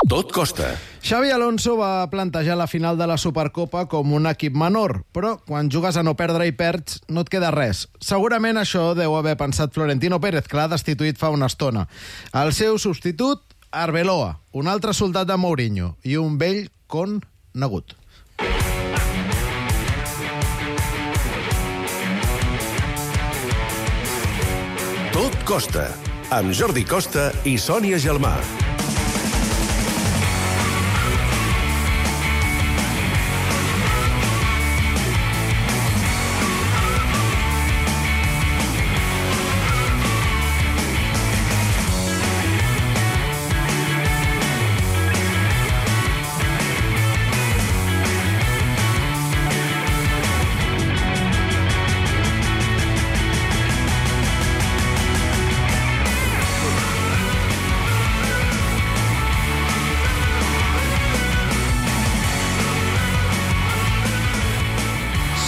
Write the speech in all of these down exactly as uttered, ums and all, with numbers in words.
Tot costa. Xavi Alonso va plantejar la final de la Supercopa com un equip menor, però quan jugues a no perdre i perds no et queda res. Segurament això deu haver pensat Florentino Pérez, que l'ha destituït fa una estona. El seu substitut, Arbeloa, un altre soldat de Mourinho i un vell conegut. Tot costa, amb Jordi Costa i Sònia Gelmà.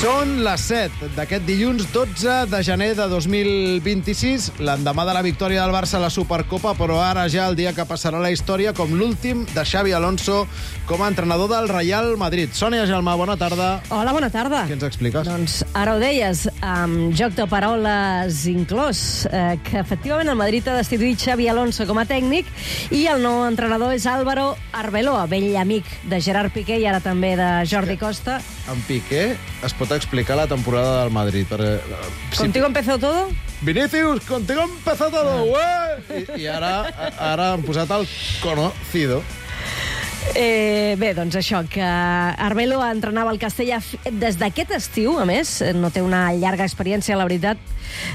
Són les set d'aquest dilluns dotze de gener de dos mil vint-i-sis, l'endemà de la victòria del Barça a la Supercopa, però ara ja el dia que passarà la història com l'últim de Xavi Alonso com a entrenador del Real Madrid. Sònia Gelmà, bona tarda. Hola, bona tarda. Què ens expliques? Doncs ara ho deies, amb joc de paraules inclòs, eh, que efectivament el Madrid ha destituït Xavi Alonso com a tècnic i el nou entrenador és Álvaro Arbeloa, vell amic de Gerard Piqué i ara també de Jordi Costa. En Piqué es pot explicar la temporada del Madrid. Perquè, ¿Contigo empezó todo? Vinicius, contigo empezó todo, güey! I, I ara, ara han posat el conocido. Eh, bé, doncs això, que Arbeloa entrenava el Castella des d'aquest estiu, a més, no té una llarga experiència, la veritat,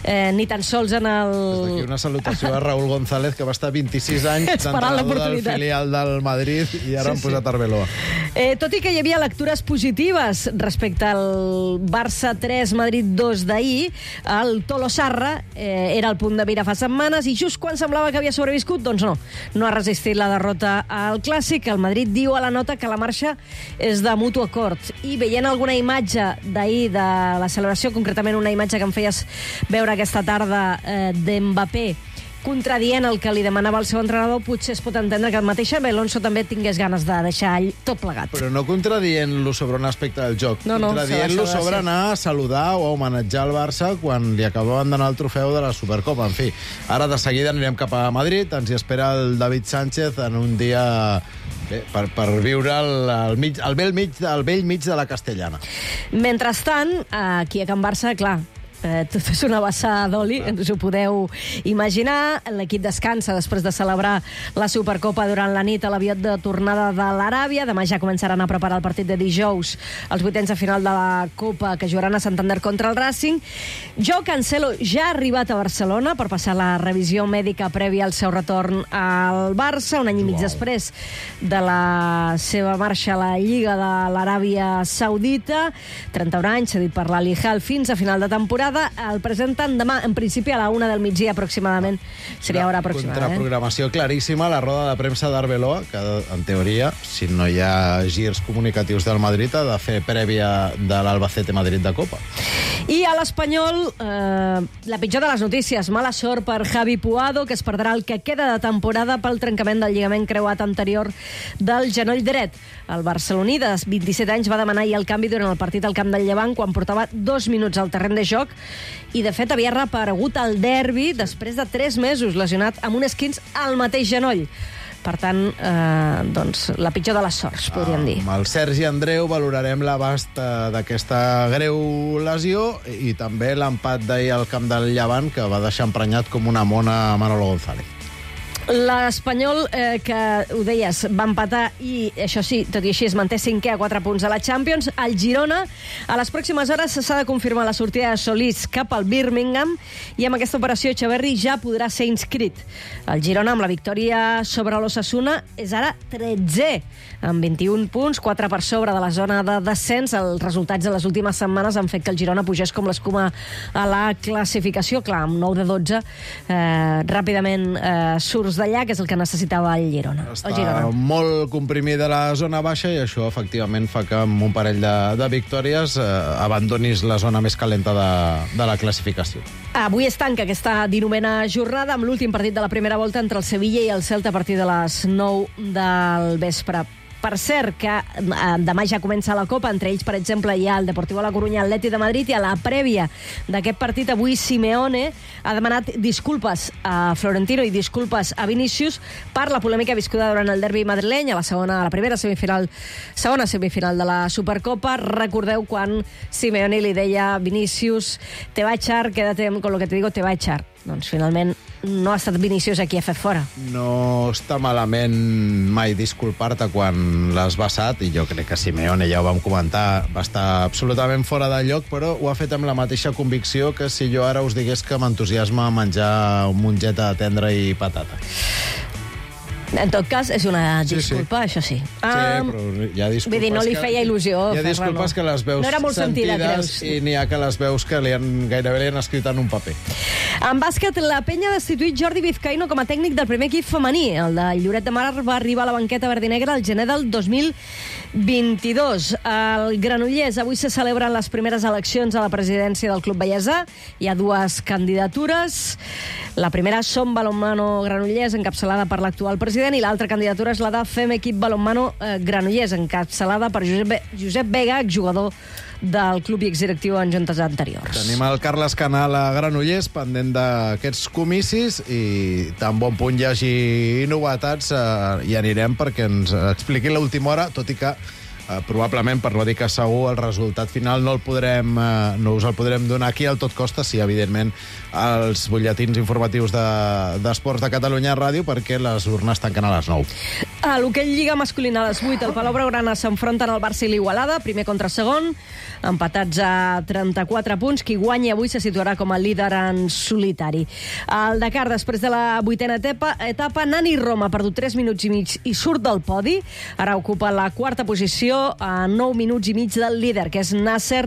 eh, ni tan sols en el... Des d'aquí una salutació a Raúl González, que va estar vint-i-sis anys d'entrenador del filial del Madrid i ara sí, han posat sí. Arbeloa. Eh, tot i que hi havia lectures positives respecte al Barça tres, Madrid dos d'ahir, el Tolosarra eh, era el punt de mira fa setmanes i just quan semblava que havia sobreviscut, doncs no, no ha resistit la derrota al Clàssic. El Madrid diu a la nota que la marxa és de mutu acord. I veient alguna imatge d'ahir de la celebració, concretament una imatge que em feies veure aquesta tarda eh, d'Mbappé, contradient el que li demanava el seu entrenador, potser es pot entendre que el mateix Xavi Alonso també tingués ganes de deixar tot plegat. Però no contradient-lo sobre un aspecte del joc, no, no, contradient-lo sobre anar a saludar o a homenatjar el Barça quan li acabaven d'anar el trofeu de la Supercopa. En fi, ara de seguida anirem cap a Madrid, ens hi espera el David Sánchez en un dia bé, per, per viure el, el, mig, el, vell mig, el vell mig de la Castellana. Mentrestant, aquí a Can Barça, clar, Eh, tot és una vessada d'oli, ens ho podeu imaginar. L'equip descansa després de celebrar la Supercopa durant la nit a l'avió de tornada de l'Aràbia. Demà ja començaran a preparar el partit de dijous, els vuitens de final de la Copa, que jugaran a Santander contra el Racing. Joao Cancelo ja ha arribat a Barcelona per passar la revisió mèdica prèvia al seu retorn al Barça, un any i mig wow. després de la seva marxa a la Lliga de l'Aràbia Saudita. trenta-un anys, cedit per l'Al-Hilal fins a final de temporada. El presenten demà, en principi, a la una del migdia aproximadament. Seria hora aproximada. Contraprogramació claríssima, la roda de premsa d'Arbeloa, que en teoria, si no hi ha girs comunicatius del Madrid, ha de fer prèvia de l'Albacete Madrid de Copa. I a l'Espanyol, eh, la pitjor de les notícies. Mala sort per Javi Puado, que es perdrà el que queda de temporada pel trencament del lligament creuat anterior del genoll dret. El barceloní, de vint-i-set anys, va demanar ahir el canvi durant el partit al camp del Llevant, quan portava dos minuts al terreny de joc, i de fet havia reaparegut al derbi després de tres mesos lesionat amb un esquinç al mateix genoll. Per tant, eh, doncs, la pitjor de les sorts, podríem dir. Amb el Sergi Andreu valorarem l'abast d'aquesta greu lesió i també l'empat d'ahir al camp del Llevant, que va deixar emprenyat com una mona a Manolo González. L'Espanyol, eh, que ho deies, va empatar i, això sí, tot i així es manté cinquè a quatre punts a la Champions. El Girona, a les pròximes hores s'ha de confirmar la sortida de Solís cap al Birmingham i amb aquesta operació Echeverri ja podrà ser inscrit. El Girona, amb la victòria sobre l'Osasuna, és ara tretzè, amb vint-i-un punts, quatre per sobre de la zona de descens. Els resultats de les últimes setmanes han fet que el Girona pugés com l'escuma a la classificació. Clar, amb nou de dotze, eh, ràpidament eh, surts punts d'allà, que és el que necessitava el Girona. Està el Girona. molt comprimida la zona baixa i això efectivament fa que amb un parell de, de victòries eh, abandonis la zona més calenta de, de la classificació. Avui es tanca aquesta dinovena jornada amb l'últim partit de la primera volta entre el Sevilla i el Celta a partir de les nou del vespre. Per cert, que eh, demà ja comença la Copa, entre ells, per exemple, hi ha el Deportivo La Coruña, Atleti de Madrid, i a la prèvia d'aquest partit avui Simeone ha demanat disculpes a Florentino i disculpes a Vinícius per la polèmica viscuda durant el derbi madrileny, a la segona, a la primera semifinal, segona semifinal de la Supercopa. Recordeu quan Simeone li deia a Vinícius, te va a echar, quédate con lo que te digo, te va a echar. Doncs finalment no ha estat Vinícius a qui ha fet fora. No està malament mai disculpar-te quan l'has vessat, i jo crec que Simeone, ja ho vam comentar, va estar absolutament fora de lloc, però ho ha fet amb la mateixa convicció que si jo ara us digués que m'entusiasma menjar un mongeta tendra i patata. En tot cas, és una disculpa, sí, sí. això sí. Sí, um, però hi ha disculpes... Vull dir, no li feia il·lusió. Hi ha disculpes que les veus no era molt sentida, sentides creus? I n'hi ha que les veus que li han, gairebé li han escrit en un paper. En bàsquet, la penya ha destituït Jordi Vizcaíno com a tècnic del primer equip femení. El de Lloret de Mar va arribar a la banqueta verdinegra el gener del dos mil vint-i-dos. Al Granollers avui se celebren les primeres eleccions a la presidència del Club Vallèsà. Hi ha dues candidatures. La primera, Som Balonmano Granollers, encapçalada per l'actual president, i l'altra candidatura és la de Fem Equip Balonmano eh, Granollers, encapçalada per Josep, Josep Vega, exjugador del club i exdirectiu en juntes anteriors. Tenim el Carles Canal a Granollers, pendent d'aquests comicis, i tan bon punt hi hagi novetats, eh, hi anirem perquè ens expliqui l'última hora, tot i que Uh, probablement, per no dir que segur, el resultat final no el podrem, uh, no us el podrem donar aquí al Tot Costa, sí, evidentment, als butlletins informatius d'Esports de, de Catalunya Ràdio, perquè les urnes tanquen a les nou. A l'hoquei Lliga masculina a les vuit, el Palau Blaugrana s'enfronten al Barça i l'Igualada, primer contra segon, empatats a trenta-quatre punts. Qui guanyi avui se situarà com a líder en solitari. El Dakar, després de la vuitena etapa, etapa Nani Roma ha perdut tres minuts i mig i surt del podi. Ara ocupa la quarta posició a nou minuts i mig del líder, que és Nasser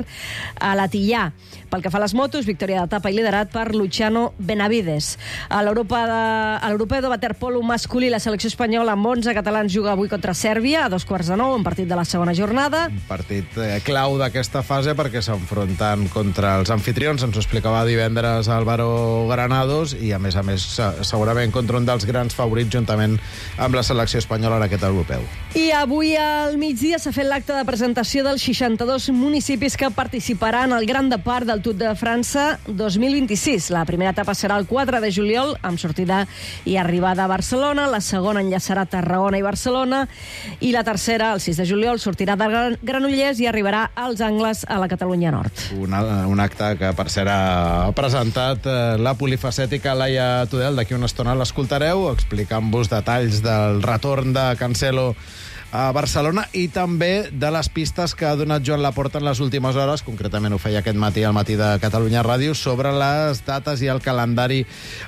Al-Attiyah. Pel que fa a les motos, victòria d'etapa i liderat per Luciano Benavides. A l'Europeu de waterpolo masculí, la selecció espanyola amb onze catalans juga avui contra Sèrbia a dos quarts de nou, en partit de la segona jornada. Un partit eh, clau d'aquesta fase perquè s'enfronten contra els anfitrions, ens ho explicava divendres Álvaro Granados, i a més a més segurament contra un dels grans favorits juntament amb la selecció espanyola en aquest europeu. I avui al migdia s'ha fet l'acte de presentació dels seixanta-dos municipis que participaran al Gran Depart del Tour de França dos mil vint-i-sis. La primera etapa serà el quatre de juliol, amb sortida i arribada a Barcelona. La segona enllaçarà Tarragona i Barcelona. I la tercera, el sis de juliol, sortirà de Granollers i arribarà als Angles, a la Catalunya Nord. Un, un acte que, per cert, ha presentat eh, la polifacètica Laia Tudel. D'aquí una estona l'escoltareu, explicant-vos detalls del retorn de Cancelo a Barcelona i també de les pistes que ha donat Joan Laporta en les últimes hores, concretament ho feia aquest matí al Matí de Catalunya Ràdio, sobre les dates i el calendari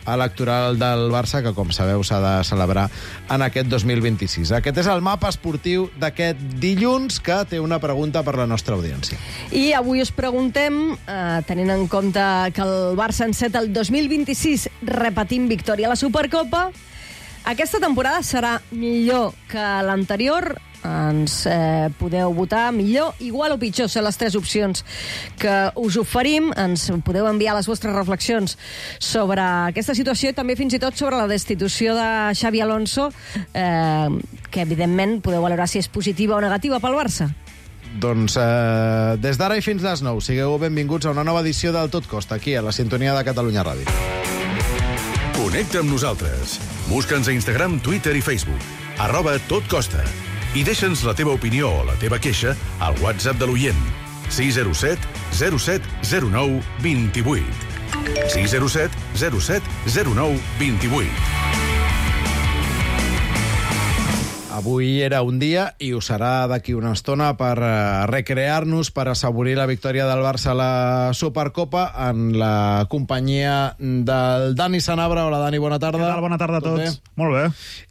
electoral del Barça, que, com sabeu, s'ha de celebrar en aquest dos mil vint-i-sis. Aquest és el mapa esportiu d'aquest dilluns, que té una pregunta per la nostra audiència. I avui us preguntem, eh, tenint en compte que el Barça enceta el dos mil vint-i-sis repetint victòria a la Supercopa, aquesta temporada serà millor que l'anterior? Ens eh, podeu votar millor, igual o pitjor, són les tres opcions que us oferim. Ens podeu enviar les vostres reflexions sobre aquesta situació i també fins i tot sobre la destitució de Xabi Alonso, eh, que evidentment podeu valorar si és positiva o negativa pel Barça. Doncs eh, des d'ara i fins les nou, sigueu benvinguts a una nova edició del Tot Costa, aquí a la sintonia de Catalunya Ràdio. Connecta amb nosaltres. Busca'ns a Instagram, Twitter i Facebook. Arroba Tot Costa. I deixa'ns la teva opinió o la teva queixa al WhatsApp de l'oient. sis zero set zero set zero nou dos vuit. sis zero set zero set zero nou dos vuit. avui era un dia i ho serà d'aquí una estona per uh, recrear-nos, per assaborir la victòria del Barça a la Supercopa en la companyia del Dani Sanabra. Hola, Dani, bona tarda. Què tal? Bona tarda a Tot tots. bé? Molt bé.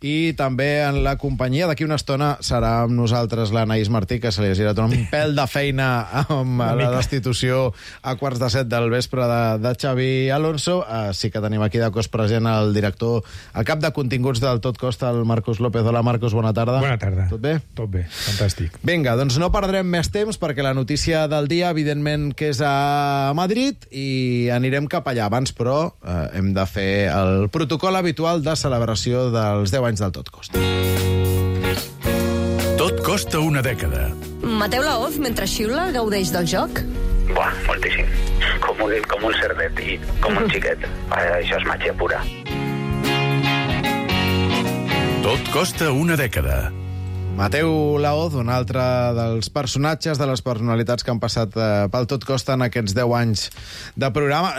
I també en la companyia, d'aquí una estona, serà amb nosaltres l'Anaïs Martí, que se li ha girat un pèl de feina amb la destitució a quarts de set del vespre de, de Xavi Alonso. Uh, sí que tenim aquí de cos present el director, el cap de continguts del Tot Costa, el Marcos López. Hola, Marcos, bona tarda. Bona tarda. Tot bé? Tot bé, fantàstic. Vinga, doncs no perdrem més temps, perquè la notícia del dia, evidentment, que és a Madrid, i anirem cap allà abans, però eh, hem de fer el protocol habitual de celebració dels deu anys del Tot Costa. Tot costa una dècada. Mateu Laoz, mentre xiula, gaudeix del joc? Buah, moltíssim. Com un, com un cerdet i com un xiquet. Això és màgia pura. Tot costa una dècada. Mateu Laoz, un altre dels personatges, de les personalitats que han passat eh, pel Tot Costa en aquests deu anys de programa.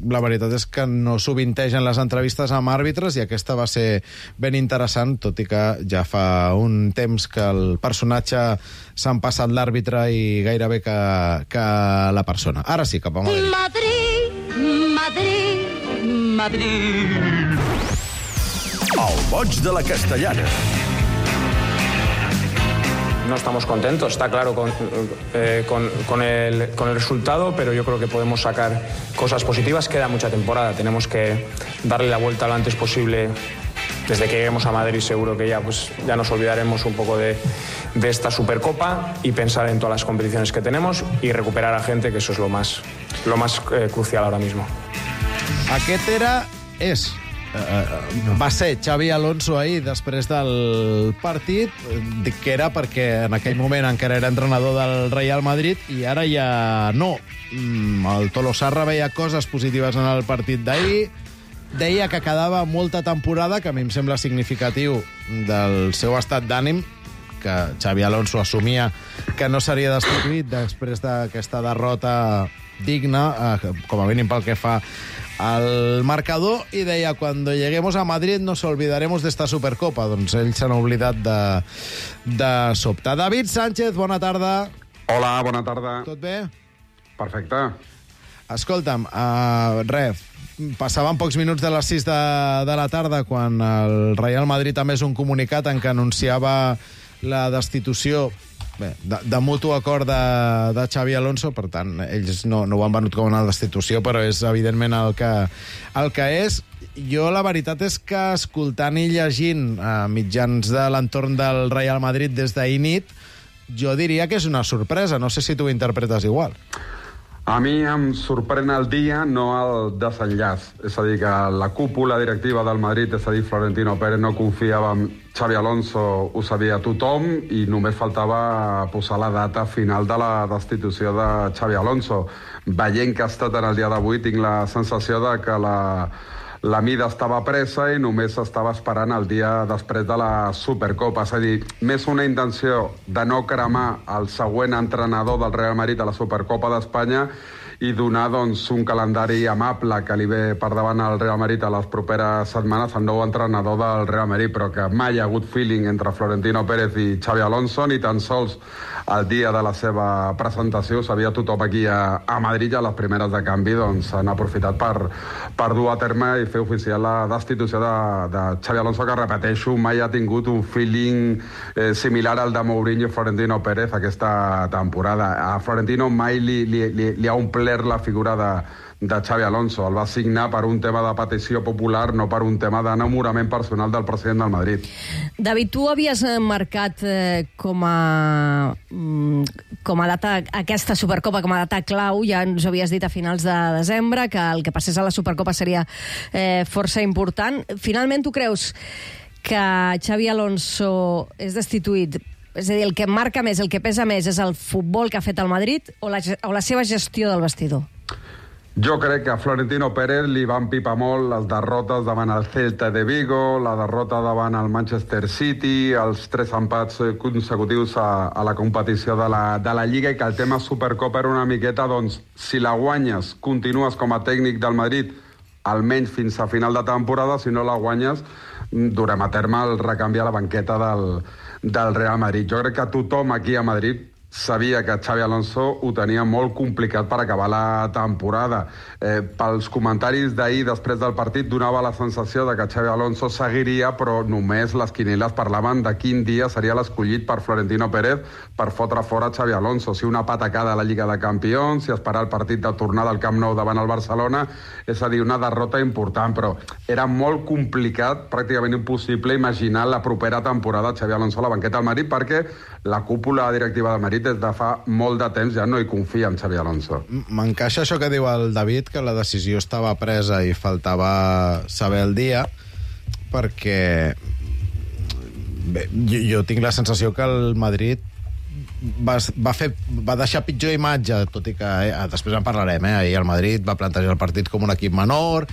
La veritat és que no sovintegen les entrevistes amb àrbitres, i aquesta va ser ben interessant, tot i que ja fa un temps que el personatge s'han passat l'àrbitre i gairebé que, que la persona. Ara sí, cap a Madrid. Madrid, Madrid, Madrid. El boig de la Castellana. No estamos contentos, está claro, con, eh, con, con, el, con el resultado, pero yo creo que podemos sacar cosas positivas. Queda mucha temporada, tenemos que darle la vuelta lo antes posible. Desde que lleguemos a Madrid seguro que ya, pues, ya nos olvidaremos un poco de, de esta Supercopa y pensar en todas las competiciones que tenemos y recuperar a gente, que eso es lo más, lo más eh, crucial ahora mismo. Aquest era... és... Uh, va ser Xavi Alonso ahir després del partit. Dic que era perquè en aquell moment encara era entrenador del Real Madrid i ara ja no. El Tolosarra veia coses positives en el partit d'ahir, deia que quedava molta temporada, que a mi em sembla significatiu del seu estat d'ànim, que Xavi Alonso assumia que no seria destituït després d'aquesta derrota digna, eh, com a mínim pel que fa al marcador, i deia, cuando lleguemos a Madrid nos olvidaremos de esta Supercopa. Doncs ells s'han oblidat de, de sobte. David Sánchez, bona tarda. Hola, bona tarda. Tot bé? Perfecte. Escolta'm, uh, res, passaven pocs minuts de les sis de, de la tarda quan el Real Madrid també és un comunicat en què anunciava la destitució, bé, de, de mutu acord de, de Xavi Alonso. Per tant, ells no, no ho han venut com una destitució, però és evidentment el que, el que és. Jo la veritat és que escoltant i llegint a mitjans de l'entorn del Real Madrid des d'ahir nit, jo diria que és una sorpresa. No sé si tu ho interpretes igual. A mi em sorprèn el dia, no el desenllaç. És a dir, que la cúpula directiva del Madrid, és a dir, Florentino Pérez, no confiava en Xavi Alonso, ho sabia tothom, i només faltava posar la data final de la destitució de Xavi Alonso. Veient que ha estat en el dia d'avui, tinc la sensació de que la... la mida estava presa i només estava esperant el dia després de la Supercopa. És a dir, més una intenció de no cremar el següent entrenador del Real Madrid a la Supercopa d'Espanya i donar, doncs, un calendari amable que li ve per davant al Real Madrid a les properes setmanes, el nou entrenador del Real Madrid, però que mai hi ha hagut feeling entre Florentino Pérez i Xavi Alonso, ni tan sols el dia de la seva presentació. Sabia tothom aquí a, a Madrid, a les primeres de canvi, doncs han aprofitat per, per dur a terme i fer oficial la destitució de, de Xavi Alonso, que, repeteixo, mai ha tingut un feeling eh, similar al de Mourinho i Florentino Pérez aquesta temporada. A Florentino mai li, li, li, li ha omplert la figura de, de Xavi Alonso. El va signar per un tema de petició popular, no per un tema d'enamorament personal del president del Madrid. David, tu havies marcat eh, com a com a data aquesta Supercopa, com a data clau, ja ens ho havies dit a finals de desembre, que el que passés a la Supercopa seria eh, força important. Finalment, tu creus que Xavi Alonso és destituït? És a dir, el que marca més, el que pesa més, és el futbol que ha fet el Madrid o la, o la seva gestió del vestidor? Jo crec que a Florentino Pérez li van pipar molt les derrotes davant el Celta de Vigo, la derrota davant el Manchester City, els tres empats consecutius a, a la competició de la, de la Lliga, i que el tema Supercopa era una miqueta, doncs, si la guanyes, continues com a tècnic del Madrid, almenys fins a final de temporada. Si no la guanyes, durem a terme el recanvi a la banqueta del, del Real Madrid. Jo crec que tothom aquí a Madrid sabia que Xabi Alonso ho tenia molt complicat per acabar la temporada. Eh, pels comentaris d'ahir després del partit donava la sensació de que Xabi Alonso seguiria, però només les quinieles parlaven de quin dia seria l'escollit per Florentino Pérez per fotre fora Xabi Alonso. Si una patacada a la Lliga de Campions, si esperar el partit de tornada al Camp Nou davant el Barcelona, és a dir, una derrota important, però era molt complicat, pràcticament impossible, imaginar la propera temporada Xabi Alonso a la banqueta del Madrid, perquè la cúpula directiva del Madrid des de fa molt de temps ja no hi confia en Xabi Alonso. M'encaixa això que diu el David, que la decisió estava presa i faltava saber el dia, perquè bé, jo, jo tinc la sensació que el Madrid va, va, fer, va deixar pitjor imatge, tot i que eh, després en parlarem, eh? Ahir el Madrid va plantejar el partit com un equip menor.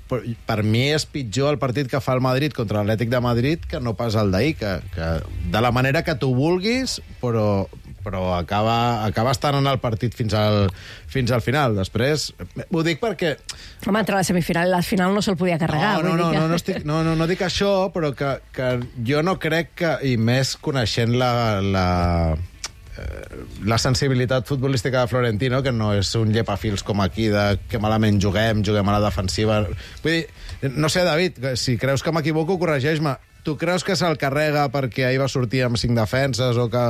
Per, per mi és pitjor el partit que fa el Madrid contra l'Atlètic de Madrid que no pas el d'ahir, que, que de la manera que tu vulguis, però, però acaba, acaba estant en el partit fins al, fins al final. Després, ho dic perquè... Home, entre la semifinal i la final no se'l podia carregar. No, no, no, que... no, no, estic, no, no, no dic això, però que, que jo no crec que, i més coneixent la... la la sensibilitat futbolística de Florentino, que no és un llepafils com aquí, de que malament juguem, juguem a la defensiva. Vull dir, no sé, David, si creus que m'equivoco, corregeix-me. Tu creus que se'l carrega perquè ahir va sortir amb cinc defenses o, que,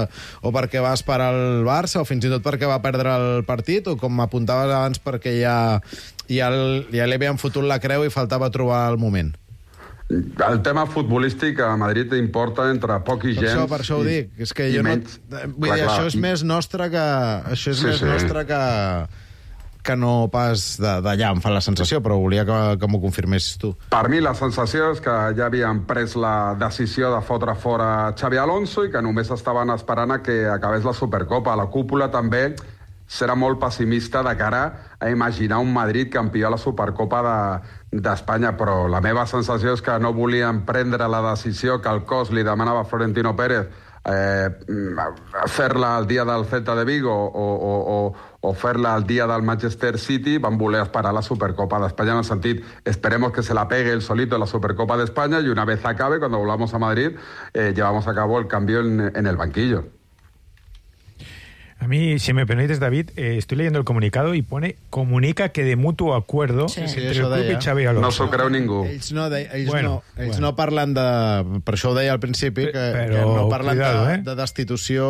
o perquè va esperar el Barça o fins i tot perquè va perdre el partit o, com m'apuntaves abans, perquè ja, ja, el, ja li havien fotut la creu i faltava trobar el moment? El tema futbolístic a Madrid importa entre poc i gens. Per això, per això ho dic. És que jo menys, no... Vull clar, dir, clar. Això és més nostre que... Això és sí, més sí. nostre que... que no pas d'allà, em fa la sensació, però volia que, que m'ho confirmessis tu. Per mi la sensació és que ja havien pres la decisió de fotre fora Xabi Alonso i que només estaven esperant a que acabés la Supercopa. La cúpula també serà molt pessimista de cara a imaginar un Madrid campió a la Supercopa d'Espanya, de, però la meva sensació és que no volien prendre la decisió que el cos li demanava a Florentino Pérez, eh, fer-la el dia del Celta de Vigo o, o, o, o fer-la el dia del Manchester City. Van voler esperar la Supercopa d'Espanya en el sentit, esperemos que se la pegue el solito en la Supercopa de España y una vez acabe, cuando volvamos a Madrid, eh, llevamos a cabo el cambio en, en el banquillo. A mí, si me permites, David, eh, estoy leyendo el comunicado y pone, comunica que de mutuo acuerdo sí. entre sí, el club deia. I Xabi Alonso. No s'ho creu ningú. Ells no, de, ells bueno, no, ells bueno. no parlen de... Per això ho deia al principi, que, Però, que no parlen cuidado, de, eh? de destitució.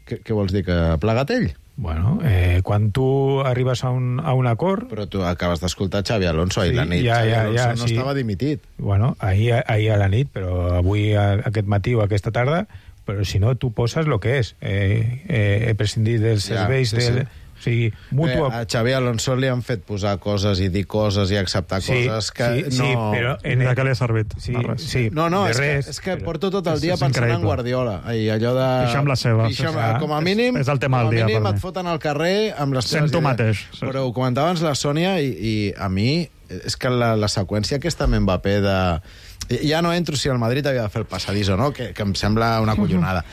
Què, què vols dir, que ha plegat ell? Bueno, eh, quan tu arribes a un, a un acord... Però tu acabes d'escoltar Xabi Alonso ahir sí, la nit. Ja, Xabi ja, Alonso ja, no sí. estava dimitit. Bueno, ahir, ahir a la nit, però avui, a, aquest matí o aquesta tarda... Però si no, tu poses el que és. Eh, eh, he prescindit dels serveis... Ja, sí, del, sí. O sigui, mutu... Bé, a Xabi Alonso li han fet posar coses i dir coses i acceptar sí, coses que sí, no... Sí, però... En de què li ha servit? Sí, res. sí, no, no, és res, que, és que però... porto tot el dia és, és pensant increïble. en Guardiola. I allò de... Deixa'm la seva. Deixa'm, com a mínim, és, és el tema com a del dia, mínim per et mi. foten al carrer amb les teves Sento idees. mateix. Sí. Però ho comentava abans la Sònia i, i a mi és que la, la seqüència aquesta amb Mbappé de... Ja no entro si el Madrid havia de fer el passadís o no, que, que em sembla una collonada.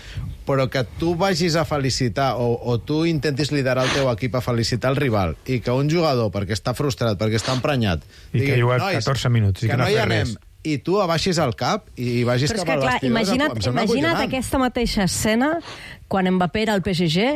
Però que tu vagis a felicitar o, o tu intentis liderar el teu equip a felicitar el rival i que un jugador, perquè està frustrat, perquè està emprenyat... I digui, que ha jugat catorze minuts i que, que no, no hi anem, res. I tu abaixis el cap i vagis Però cap al clar, vestidor... Imagina't, imagina't aquesta mateixa escena quan Mbappé era al P S G...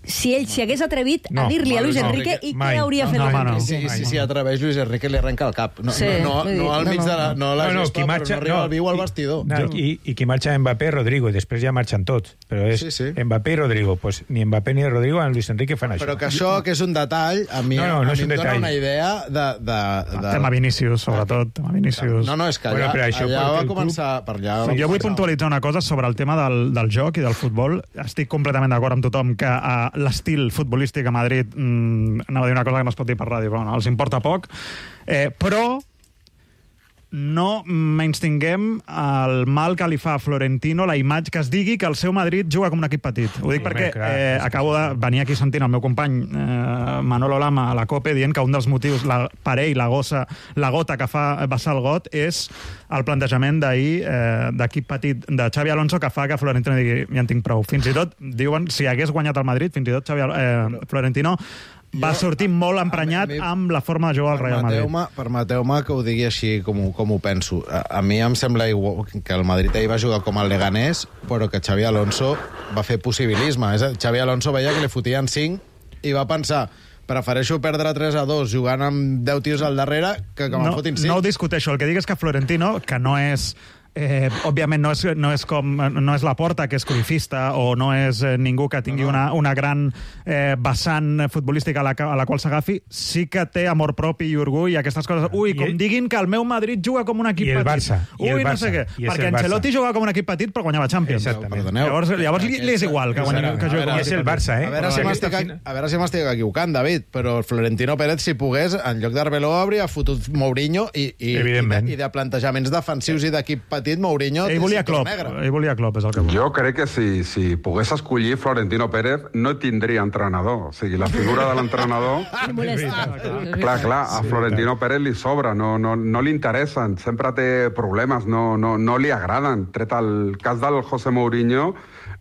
Si ell s'hi hagués atrevit no, a dir-li a Luis no, Enrique i què hauria fet no, Luis no, Enrique? Sí, sí, sí, atreveix Luis Enrique li arrenca el cap. No, sí, no, no, no al mig de la, no la no, no, gespa, marxa, però no arriba no, al viu al vestidor. No, i, I qui marxa Mbappé, Rodrigo, i després ja marxen tots. Però és sí, sí. Mbappé i Rodrigo. Pues ni Mbappé ni Rodrigo en Luis Enrique fan això. Però que això, que és un detall, a mi, no, no, no a mi em dona una idea de... de, de... Tema Vinícius, sobretot. Tema Vinícius. No, no, és que allà, bueno, això allà va club... començar... Per allà sí, jo vull puntualitzar una cosa sobre el tema del, del joc i del futbol. Estic completament d'acord amb tothom que uh, l'estil futbolístic a Madrid Mm, anava a dir una cosa que no es pot dir per ràdio, però no, els importa poc, eh, però no menystinguem el mal que li fa a Florentino la imatge que es digui que el seu Madrid juga com un equip petit. Ho dic sí, perquè eh, acabo de venir aquí sentint el meu company eh, Manolo Lama a la COPE dient que un dels motius la, per ell, la, gossa, la gota que fa vessar el got és el plantejament d'ahir eh, d'equip petit de Xabi Alonso que fa que Florentino digui ja en tinc prou. Fins i tot, diuen, si hagués guanyat el Madrid, fins i tot Xavi, eh, Florentino va sortir molt emprenyat mi, amb la forma de jugar al Real Madrid. Permeteu-me permeteu que ho digui així com, com ho penso. A, a mi em sembla igual que el Madrid ahir va jugar com el Leganés, però que Xavi Alonso va fer possibilisme. És a dir, Xavi Alonso veia que li fotien cinc i va pensar, prefereixo perdre tres a dos jugant amb deu tios al darrere que que me'n no, fotin cinc. No ho discuteixo. El que dic és que Florentino, que no és... Eh, òbviament no és, no és com no és Laporta, que és cruifista, o no és eh, ningú que tingui no, no. Una, una gran eh, vessant futbolística a la, a la qual s'agafi, sí que té amor propi i orgull i aquestes coses. Ui, com I, diguin que el meu Madrid juga com un equip i el petit. Barça, Ui, i el no Barça, sé què. Perquè Ancelotti jugava com un equip petit però guanyava Champions. Exactament. Llavors, llavors li, li és igual que, guanyi, que jugui com un és el Barça, eh? A veure, si m'estic, a veure si m'estic equivocant, David, però el Florentino Pérez, si pogués, en lloc d'Arbeloa, hauria fotut Mourinho i, i, i, de, i de plantejaments defensius i d'equip petit, Mourinho... Ell volia Klopp, ell volia Klopp, és el que volia. Jo crec que si, si pogués escollir Florentino Pérez no tindria entrenador. O sigui, la figura de l'entrenador... clar, clar, a Florentino Pérez li sobra, no, no, no li interessen, sempre té problemes, no, no, no li agraden. Tret el cas del José Mourinho,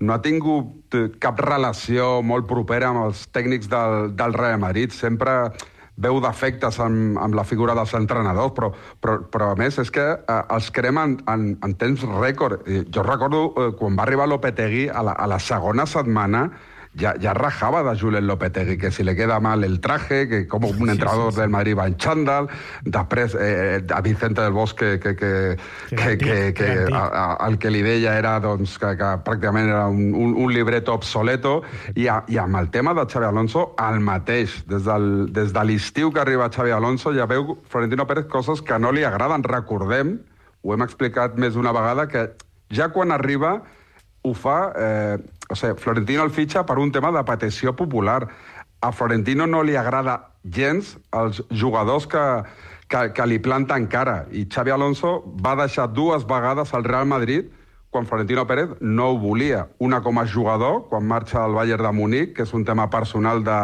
no ha tingut cap relació molt propera amb els tècnics del, del Real Madrid, sempre veu defectes amb, amb la figura dels entrenadors, però, però, però a més és que eh, els cremen en, en temps rècord. Jo recordo eh, quan va arribar Lopetegui a la, a la segona setmana ya, ya rajaba de Julen Lopetegui, que si le queda mal el traje, que como un entrenador sí, sí, sí. del Madrid va en chándal, després eh, a Vicente del Bosque, que, que, que, que, que a, a, el que li deia era doncs, que, que pràcticament era un, un, un libreto obsoleto, i, a, i amb el tema de Xavi Alonso, el mateix. Des, del, des de l'estiu que arriba Xavi Alonso ja veu Florentino Pérez coses que no li agraden. Recordem, ho hem explicat més d'una vegada, que ja quan arriba ho fa... Eh, o sigui, Florentino el fitxa per un tema de petició popular. A Florentino no li agrada gens els jugadors que, que, que li planten cara. I Xavi Alonso va deixar dues vegades al Real Madrid quan Florentino Pérez no ho volia. Una com a jugador, quan marxa al Bayern de Munic, que és un tema personal de,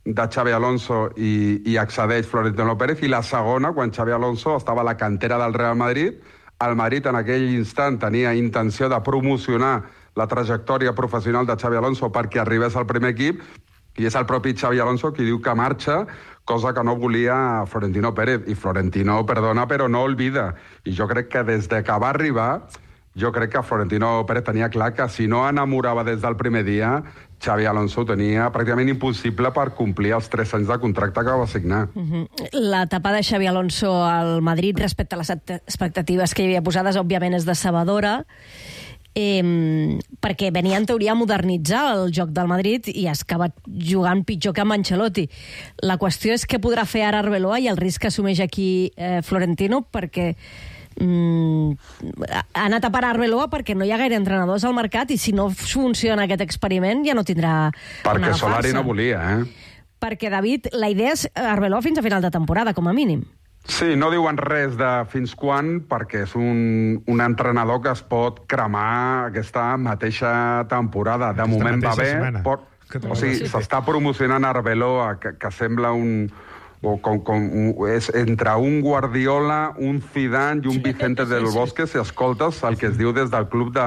de Xavi Alonso i, i accedeix Florentino Pérez, i la segona, quan Xavi Alonso estava a la cantera del Real Madrid. El Madrid en aquell instant tenia intenció de promocionar la trajectòria professional de Xavi Alonso perquè arribés al primer equip, i és el propi Xavi Alonso qui diu que marxa, cosa que no volia Florentino Pérez. I Florentino perdona, però no olvida. I jo crec que des de que va arribar, jo crec que Florentino Pérez tenia clar que si no enamorava des del primer dia, Xavi Alonso ho tenia pràcticament impossible per complir els tres anys de contracte que va signar. Uh-huh. L'etapa de Xavi Alonso al Madrid respecte a les expectatives que hi havia posades, òbviament, és decebedora, Eh, perquè venia en teoria a modernitzar el joc del Madrid i ha acabat jugant pitjor que amb Ancelotti. La qüestió és què podrà fer ara Arbeloa i el risc que assumeix aquí eh, Florentino, perquè mm, ha anat a parar Arbeloa perquè no hi ha gaire entrenadors al mercat, i si no funciona aquest experiment ja no tindrà perquè Solari no volia, eh? Perquè, David, la idea és Arbeloa fins a final de temporada, com a mínim. Sí, no diuen res de fins quan, perquè és un, un entrenador que es pot cremar aquesta mateixa temporada. De aquesta moment va bé, pot, o sigui, s'està promocionant Arbeloa, que, que sembla un... O com, com, és entre un Guardiola, un Zidane i un Vicente del Bosque, si escoltes el que es diu des del club de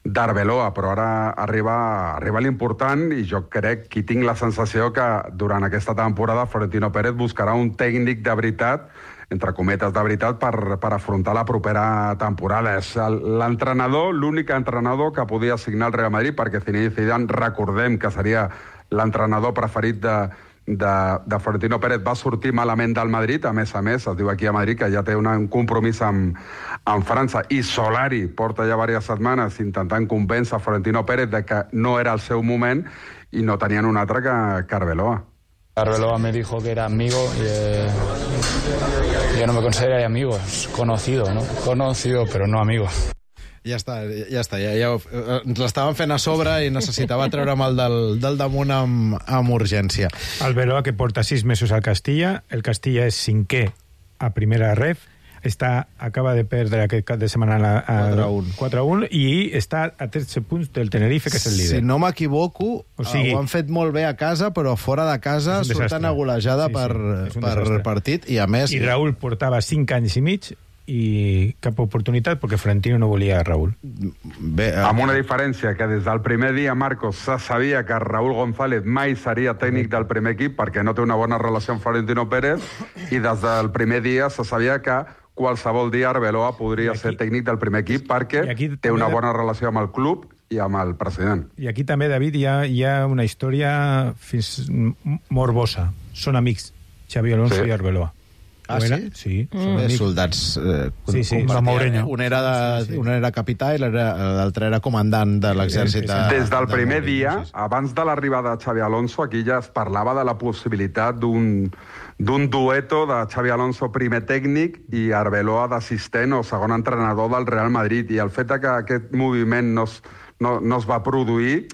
d'Arbeloa, però ara arriba, arriba l'important, i jo crec que tinc la sensació que durant aquesta temporada Florentino Pérez buscarà un tècnic de veritat, entre cometes de veritat, per, per afrontar la propera temporada. És l'entrenador, l'únic entrenador que podia signar el Real Madrid, perquè Zinedine Zidane, recordem que seria l'entrenador preferit de De, de Florentino Pérez, va sortir malament del Madrid. A més a més, es diu aquí a Madrid que ja té una, un compromís amb, amb França, i Solari porta ja diverses setmanes intentant convèncer Florentino Pérez de que no era el seu moment, i no tenien un altre que, que Arbeloa. Arbeloa me dijo que era amigo y eh, yo no me consideraría amigo, es conocido, ¿no? Conocido, pero no amigo. Ja està, ja està. Ja, ja, ens l'estaven fent a sobre i necessitava treure'm el del, del damunt amb, amb urgència. Arbeloa, que porta sis mesos al Castilla. El Castilla és cinquè a primera ref. Està, acaba de perdre aquest cap de setmana a quatre a un i està a tretze punts del Tenerife, que és el líder. Si no m'equivoco, o sigui, ho han fet molt bé a casa, però fora de casa surten a golejada sí, sí. per, per partit. I a més... I Raúl portava cinc anys i mig i cap oportunitat perquè Florentino no volia a Raúl. Bé, eh... Amb una diferència, que des del primer dia, Marcos, se sabia que Raúl González mai seria tècnic del primer equip perquè no té una bona relació amb Florentino Pérez, i des del primer dia se sabia que qualsevol dia Arbeloa podria aquí, ser tècnic del primer equip perquè té una bona relació amb el club i amb el president. I aquí també, David, hi ha, hi ha una història fins morbosa. Són amics, Xavi Alonso sí. i Arbeloa. Ah, sí? Sí. Mm. Són soldats... Eh, sí, sí, com Mourinho. Un era, de, sí, sí. un era capità i l'altre era comandant de l'exèrcit. De, Des del de primer Mourinho, dia, sí, sí. abans de l'arribada de Xavi Alonso, aquí ja es parlava de la possibilitat d'un d'un dueto de Xavi Alonso primer tècnic i Arbeloa d'assistent o segon entrenador del Real Madrid. I el fet que aquest moviment no es, no, no es va produir,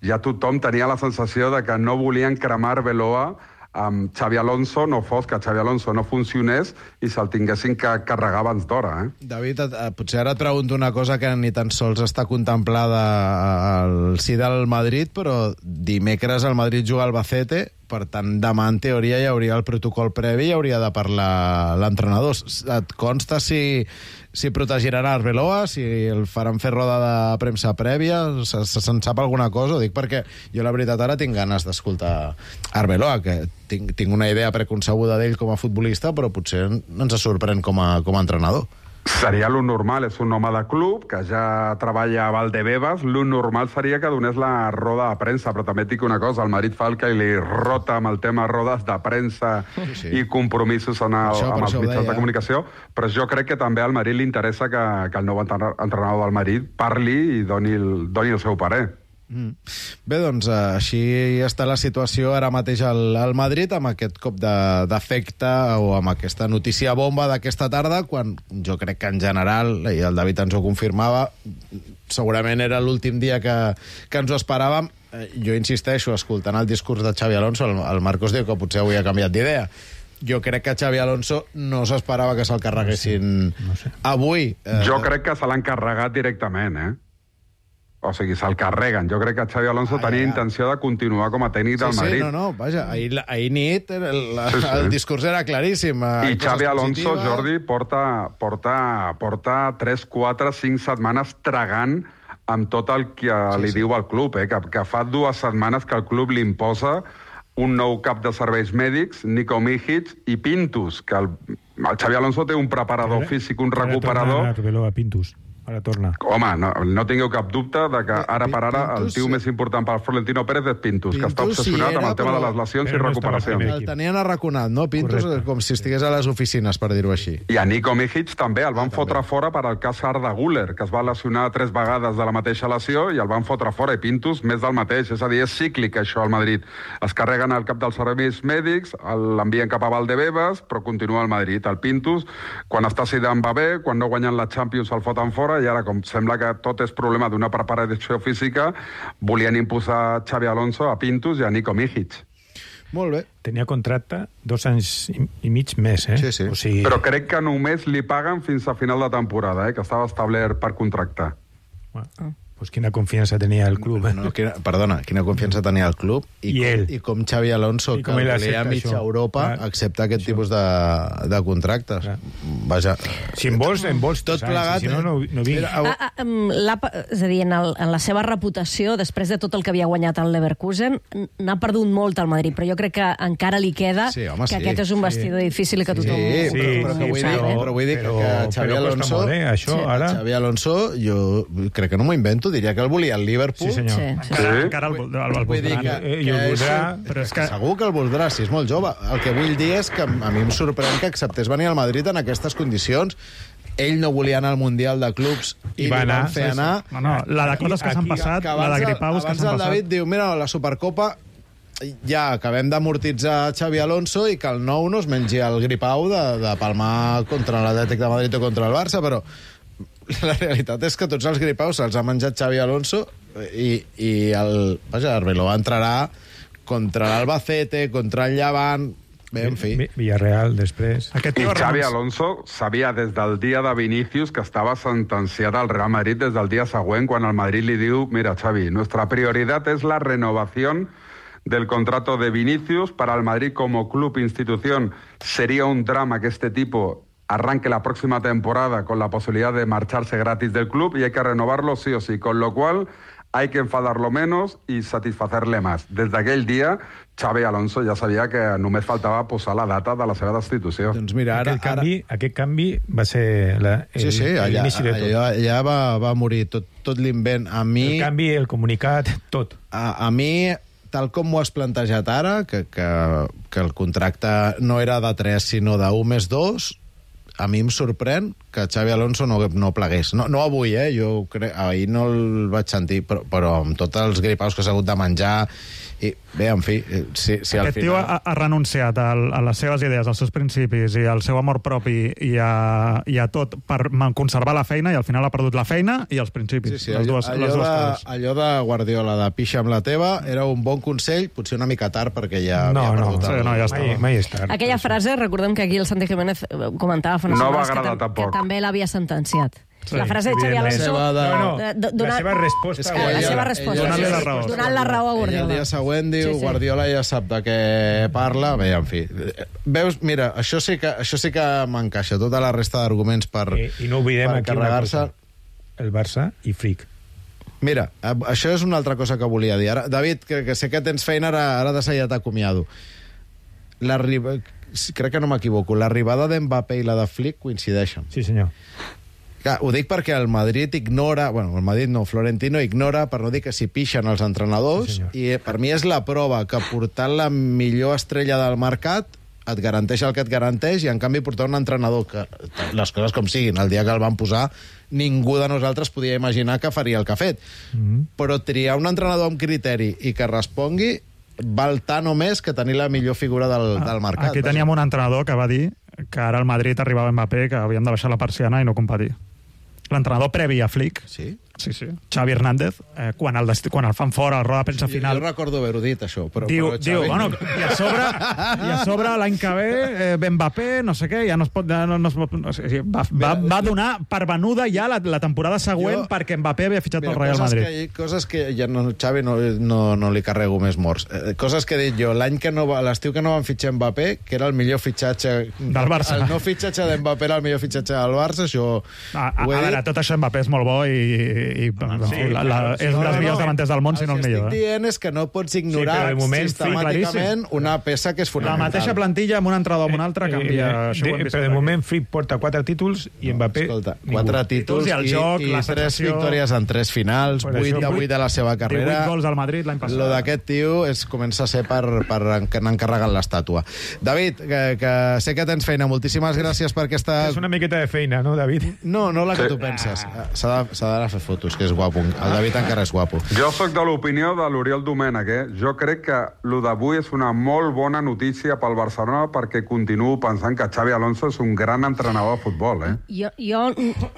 ja tothom tenia la sensació de que no volien cremar Arbeloa amb Xavi Alonso, no fos que Xavi Alonso no funcionés i se'l tinguessin que carregar abans d'hora. Eh? David, potser ara et pregunto una cosa que ni tan sols està contemplada al si del Madrid, però dimecres el Madrid juga al Albacete, per tant, demà en teoria hi hauria el protocol previ i hauria de parlar l'entrenador. Et consta si, si protegiran Arbeloa, si el faran fer roda de premsa prèvia? Se, se se'n sap alguna cosa? Ho dic perquè jo la veritat ara tinc ganes d'escoltar Arbeloa, que tinc, tinc una idea preconcebuda d'ell com a futbolista, però potser ens sorprèn com a, com a entrenador. Seria lo normal, és un home de club que ja treballa a Valdebebas, lo normal seria que donés la roda de premsa, però també et dic una cosa, el Madrid fa el que li rota amb el tema rodes de premsa sí, sí. i compromisos en el, això, amb els mitjans de comunicació, però jo crec que també al Madrid li interessa que, que el nou entrenador del Madrid parli i doni el, doni el seu parer. Mm. Bé, doncs així està la situació ara mateix al, al Madrid, amb aquest cop d'efecte o amb aquesta notícia bomba d'aquesta tarda, quan jo crec que en general, i el David ens ho confirmava, segurament era l'últim dia que, que ens ho esperàvem. Jo insisteixo, escoltant el discurs de Xavi Alonso, el, el Marcos diu que potser avui ha canviat d'idea. Jo crec que Xavi Alonso no s'esperava que se'l carreguessin no sé, no sé. avui. Eh... Jo crec que se l'han carregat directament, eh? O sigui, se'l carreguen. Jo crec que Xavi Alonso ah, tenia ja. intenció de continuar com a tècnic del sí, Madrid. Sí, no, no, vaja, ahir, ahir nit el, sí, sí. el discurs era claríssim. I Xavi Alonso, Jordi, porta, porta, porta tres, quatre, cinc setmanes tragant amb tot el que sí, li sí. diu al club, eh? que, que fa dues setmanes que el club li imposa un nou cap de serveis mèdics, Nico Mijic, i Pintus, que el, el Xavi Alonso té un preparador físic, un recuperador... Ara Pintus. Ara torna. Home, no, no tingueu cap dubte de que ara per ara el tio més important per Florentino Pérez és Pintus, Pintus que està obsessionat sí era, amb el tema de les lesions i recuperacions. No el tenien arraconat, no? Pintus, correcte. Com si estigués a les oficines, per dir-ho així. I a Nico Mijic també, el van ah, fotre també. fora per al cas Arda Güler, que es va lesionar tres vegades de la mateixa lesió i el van fotre fora, i Pintus més del mateix. És a dir, és cíclic això al Madrid. Es carreguen el cap dels serveis mèdics, l'envien cap a Valdebebas, però continua al Madrid. El Pintus, quan està Zidane va bé, quan no guanyen la Champions el foten fora, i ara, com sembla que tot és problema d'una preparació física, volien imposar Xavi Alonso a Pintus i a Nico Mijic. Molt bé. Tenia contracte dos anys i, i mig més, eh? Sí, sí. O sigui... Però crec que només li paguen fins a final de temporada, eh? Que estava establert per contractar. Bueno. Ah. Pues quina confiança tenia el club. Eh? No, quina, perdona, quina confiança tenia el club i, I, com, ell. i com Xavi Alonso, que a mitja això. Europa, clar, accepta aquest això. tipus de, de contractes. Clar. Vaja. Si en vols, en vols tot plegat. Si no, no, no vinc. Ah, ah, la, és a dir, en, el, en la seva reputació, després de tot el que havia guanyat el Leverkusen, n'ha perdut molt el Madrid, però jo crec que encara li queda sí, home, que sí. aquest és un vestidor sí. difícil i que tothom... Sí, sí, però, però, sí, vull dir, però, però vull dir però, que Xavi Alonso... Molt, eh, això, sí. ara... Xavi Alonso, jo crec que no m'ho invento, diria que el volia el Liverpool. Sí, senyor. Sí, sí. Encara, encara el, el, el, el voldrà. Que, eh, I el voldrà, però és que... Segur que el voldrà, si és molt jove. El que vull dir és que a mi em sorprèn que acceptés venir al Madrid en aquestes condicions. Ell no volia anar al Mundial de Clubs i, I va anar, fer anar... No, no, la de coses que s'han passat, la de gripaus que s'han passat... Abans el David diu, mira, la Supercopa ja acabem d'amortitzar Xavi Alonso i que el nou no es mengi el gripau de, de palmar contra l'Atlètic de Madrid o contra el Barça, però la realitat és que tots els gripaus se'ls ha menjat Xavi Alonso i, i el, vaja, Arbeloa entrarà contra l'Albacete, contra el Llevant... Bé, en fi. Villarreal, després... Aquest I Xavi Alonso sabia des del dia de Vinicius que estava sentenciat al Real Madrid des del dia següent, quan el Madrid li diu, mira, Xavi, nuestra prioridad es la renovación del contrato de Vinicius. Para el Madrid como club institución sería un drama que este tipo arranque la próxima temporada con la posibilidad de marcharse gratis del club y hay que renovarlo sí o sí, con lo cual hay que enfadarlo menos i satisfacer-le més. Des d'aquell dia, Xavi Alonso ja sabia que només faltava posar la data de la seva destitució. Doncs mira, ara... Aquest canvi, ara... aquest canvi va ser la, el, sí, sí, allà, l'inici de tot. Allà, allà va, va morir tot, tot l'invent. A mi... El canvi, el comunicat, tot. A, a mi, tal com ho has plantejat ara, que, que, que el contracte no era de tres, sinó d'un més dos, a mi em sorprèn que Xavi Alonso no, no plegués. No, no avui, eh? Jo crec, ahir no el vaig sentir, però, però amb tots els gripaus que s'ha hagut de menjar... I bé, en fi, si, si al Aquest final... tio ha, ha renunciat a, a les seves idees, als seus principis i al seu amor propi i a, i a tot per conservar la feina, i al final ha perdut la feina i els principis. Sí, sí, les allò, dues, allò, les dues de, coses. allò de Guardiola, de pixa amb la teva, era un bon consell, potser una mica tard, perquè ja No, havia no, perdut sí, el... no, ja està. Mai, mai és tard. Aquella frase, recordem que aquí el Santi Jiménez comentava fa unes No va setmanes que, agradar tam tampoc. que també l'havia sentenciat. Sí, la frase de Xavi evidentment. Alonso... La seva de- No, no, de- de- la donant- seva resposta... És que La ella- seva ella- resposta. Donant-li la raó. Donant la raó a Ella Guardiola. el dia següent diu, Sí, sí. Guardiola ja sap de què parla. Bé, en fi. Veus, mira, això sí que, això sí que m'encaixa, tota la resta d'arguments per, I, I no oblidem per aquí una carregar-se. cosa. El Barça i Fric. Mira, eh, això és una altra cosa que volia dir. Ara, David, que, que sé que tens feina, ara, ara de seguida t'acomiado. L'arriba... Crec que no m'equivoco. L'arribada d'Mbappé i la de Flick coincideixen. Sí, senyor. Clar, ho dic perquè el Madrid ignora... Bueno, el Madrid no, Florentino ignora, per no dir que s'hi pixen els entrenadors, Sí, senyor. i per mi és la prova que portant la millor estrella del mercat et garanteix el que et garanteix, i en canvi portar un entrenador que, les coses com siguin, el dia que el van posar ningú de nosaltres podia imaginar que faria el que ha fet. Mm-hmm. Però triar un entrenador amb criteri i que respongui val tant o més que tenir la millor figura del, del mercat. Aquí teníem un entrenador que va dir que ara al Madrid arribava Mbappé, que havíem de baixar la persiana i no competir. L'entrenador previ a Flick, Sí? sí, sí, Xavi Hernández, eh, quan, el desti- quan el fan fora, el roda de premsa Jo, final... jo recordo haver-ho dit, això, però... Diu, però, diu, Xavi- bueno, i a sobre, i a sobre l'any que ve, eh, Mbappé, no sé què, ja no es pot... Ja no, no es pot no sé, sí, va, va, va donar per venuda ja la, la temporada següent Jo- perquè Mbappé havia fitxat Mira, pel Real coses Madrid. Que, coses que ja no, Xavi no, no, no li carrego més morts. Eh, coses que he dit jo, l'any que no va, l'estiu que no van fitxar Mbappé, que era el millor fitxatge... Del Barça. El no fitxatge d'Mbappé era el millor fitxatge del Barça, això A, a, ho he a veure, dit. tot això Mbappé és molt bo i, i, i sí, la, la, claro, sí. és un No, dels no, millors no. davanters del món, si no el que millor. estic Eh? dient és que no pots ignorar però de moment, sí, sistemàticament claríssim. una peça que és La fonamental. mateixa plantilla amb un entrenador o amb un altre canvia. Eh, això ho hem de, vist però de aquí. moment Fric porta quatre títols i Mbappé Escolta, ningú. quatre títols Títols i el i, joc, i la tres sensació- victòries en tres finals, Per vuit això, de vuit de la seva carrera. divuit gols al Madrid l'any passat. Lo d'aquest tio és, comença a ser per, per anar encarregant l'estàtua. David, que, que sé que tens feina, moltíssimes gràcies per aquesta... És una miqueta de feina, no, David? No, no la que tu penses. S'ha de- s'ha d'anar a fer fotos, que és guapo. El David encara és guapo. Jo sóc de l'opinió de l'Oriol Domènech, eh? Jo crec que lo d'avui és una molt bona notícia pel Barcelona perquè continuo pensant que Xavi Alonso és un gran entrenador de futbol, eh? Jo, jo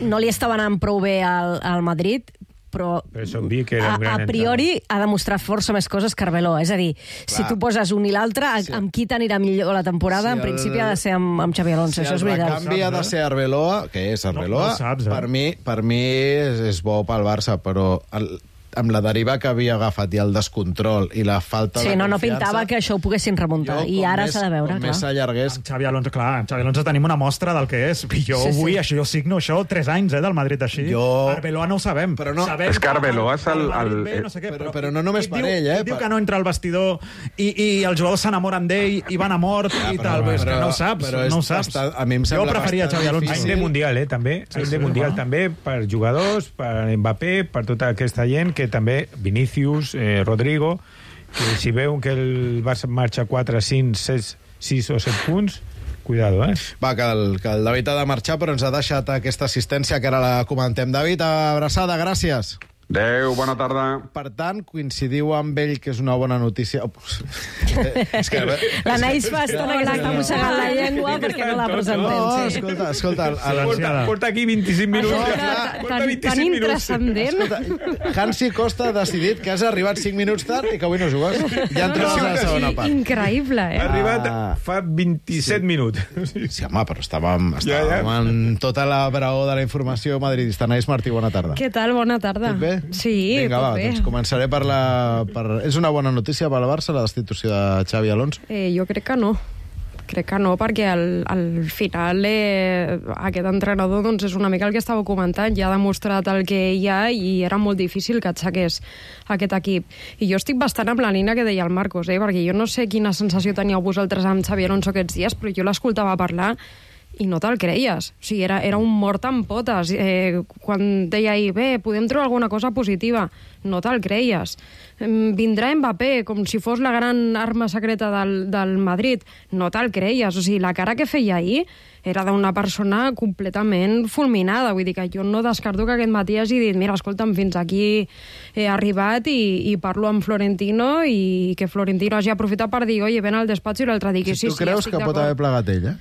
no li estava anant prou bé al, al Madrid, però Però és obvi que era a, un gran a priori ha demostrat força més coses que Arbeloa. És a dir, si tu poses un i l'altre, Sí. amb qui t'anirà millor la temporada, Si en el- principi ha de ser amb, amb Xavi Alonso, Si això el és veritat. recanvi ha de ser Arbeloa, que és Arbeloa, No- no saps, eh? per mi, per mi és, és bo pel Barça, però el, amb la deriva que havia agafat i el descontrol i la falta Sí, de no, no confiança, pintava que això ho poguessin remuntar. jo, I com ara més- s'ha de veure, com clar. més s'allargués... Amb Xavi Alonso, clar, amb Xavi Alonso tenim una mostra del que és. I jo Sí, sí. vull, això, jo signo això, tres anys, eh, del Madrid així. Jo- Arbeloa no ho sabem. Però no- Sabem És que Arbeloa és el- Madrid el- ve, no sé què, però- però no només qui per diu, ell, eh, qui diu per- que no entra al vestidor i, i els jugadors s'enamoren d'ell i van a mort Ja, i però- tal. És que però- no ho saps, però és no ho saps. bastant- a mi em jo sembla preferia bastant Xavi Alonso. Any difícil. de Mundial, eh, també. Sí, Any sí, de Mundial, clar. també, per jugadors, per Mbappé, per tota aquesta gent, que també, Vinícius, eh, Rodrigo, que si veuen que el Barça marxa quatre, cinc, sis o set punts, cuidado, eh? Va, que el, que el David ha de marxar, però ens ha deixat aquesta assistència que ara la comentem. David, abraçada, gràcies. Adéu, bona tarda. Per tant, coincidiu amb ell que és una bona notícia... Oh, és que... L'Anaïs fa estona que s'està mossegant la llengua perquè no la presentem. No, sí. escolta, escolta... El, el, Silenciada. Porta, porta aquí vint-i-cinc minuts. Això, ja. tan, Porta tan, vint-i-cinc tan minuts. intrascendent. escolta, Hansi Costa ha decidit que has arribat cinc minuts tard i que avui no jugues. Ja entres a la segona part. Increïble, Ha eh? arribat Ah. fa vint-i-set minuts. Sí, home, però estàvem, Ja, ja. estàvem en tota la braó de la informació madridista. Anaïs Martí, bona tarda. Què tal? Bona tarda. Tot bé? Sí, Vinga, tot va, bé. doncs començaré per la... Per... És una bona notícia per al Barça, la destitució de Xavi Alonso? Eh, jo crec que no. Crec que no, perquè al, al final eh, aquest entrenador doncs, és una mica el que estava comentant, ja ha demostrat el que hi ha i era molt difícil que aixequés aquest equip. I jo estic bastant amb la línia que deia el Marcos, eh? perquè jo no sé quina sensació teníeu vosaltres amb Xabi Alonso aquests dies, però jo l'escoltava parlar i no te'l creies. O sigui, era, era un mort amb potes. Eh, quan deia ahir, bé, podem trobar alguna cosa positiva, no te'l creies. Vindrà Mbappé com si fos la gran arma secreta del, del Madrid, no te'l creies. O sigui, la cara que feia ahir era d'una persona completament fulminada. Vull dir que jo no descarto que aquest matí hagi dit mira, escolta'm, fins aquí he arribat i, i parlo amb Florentino i que Florentino hagi aprofitat per dir oye, ven al despatx i l'altre digui sí, tu sí, creus estic que pot haver plegat ell, eh?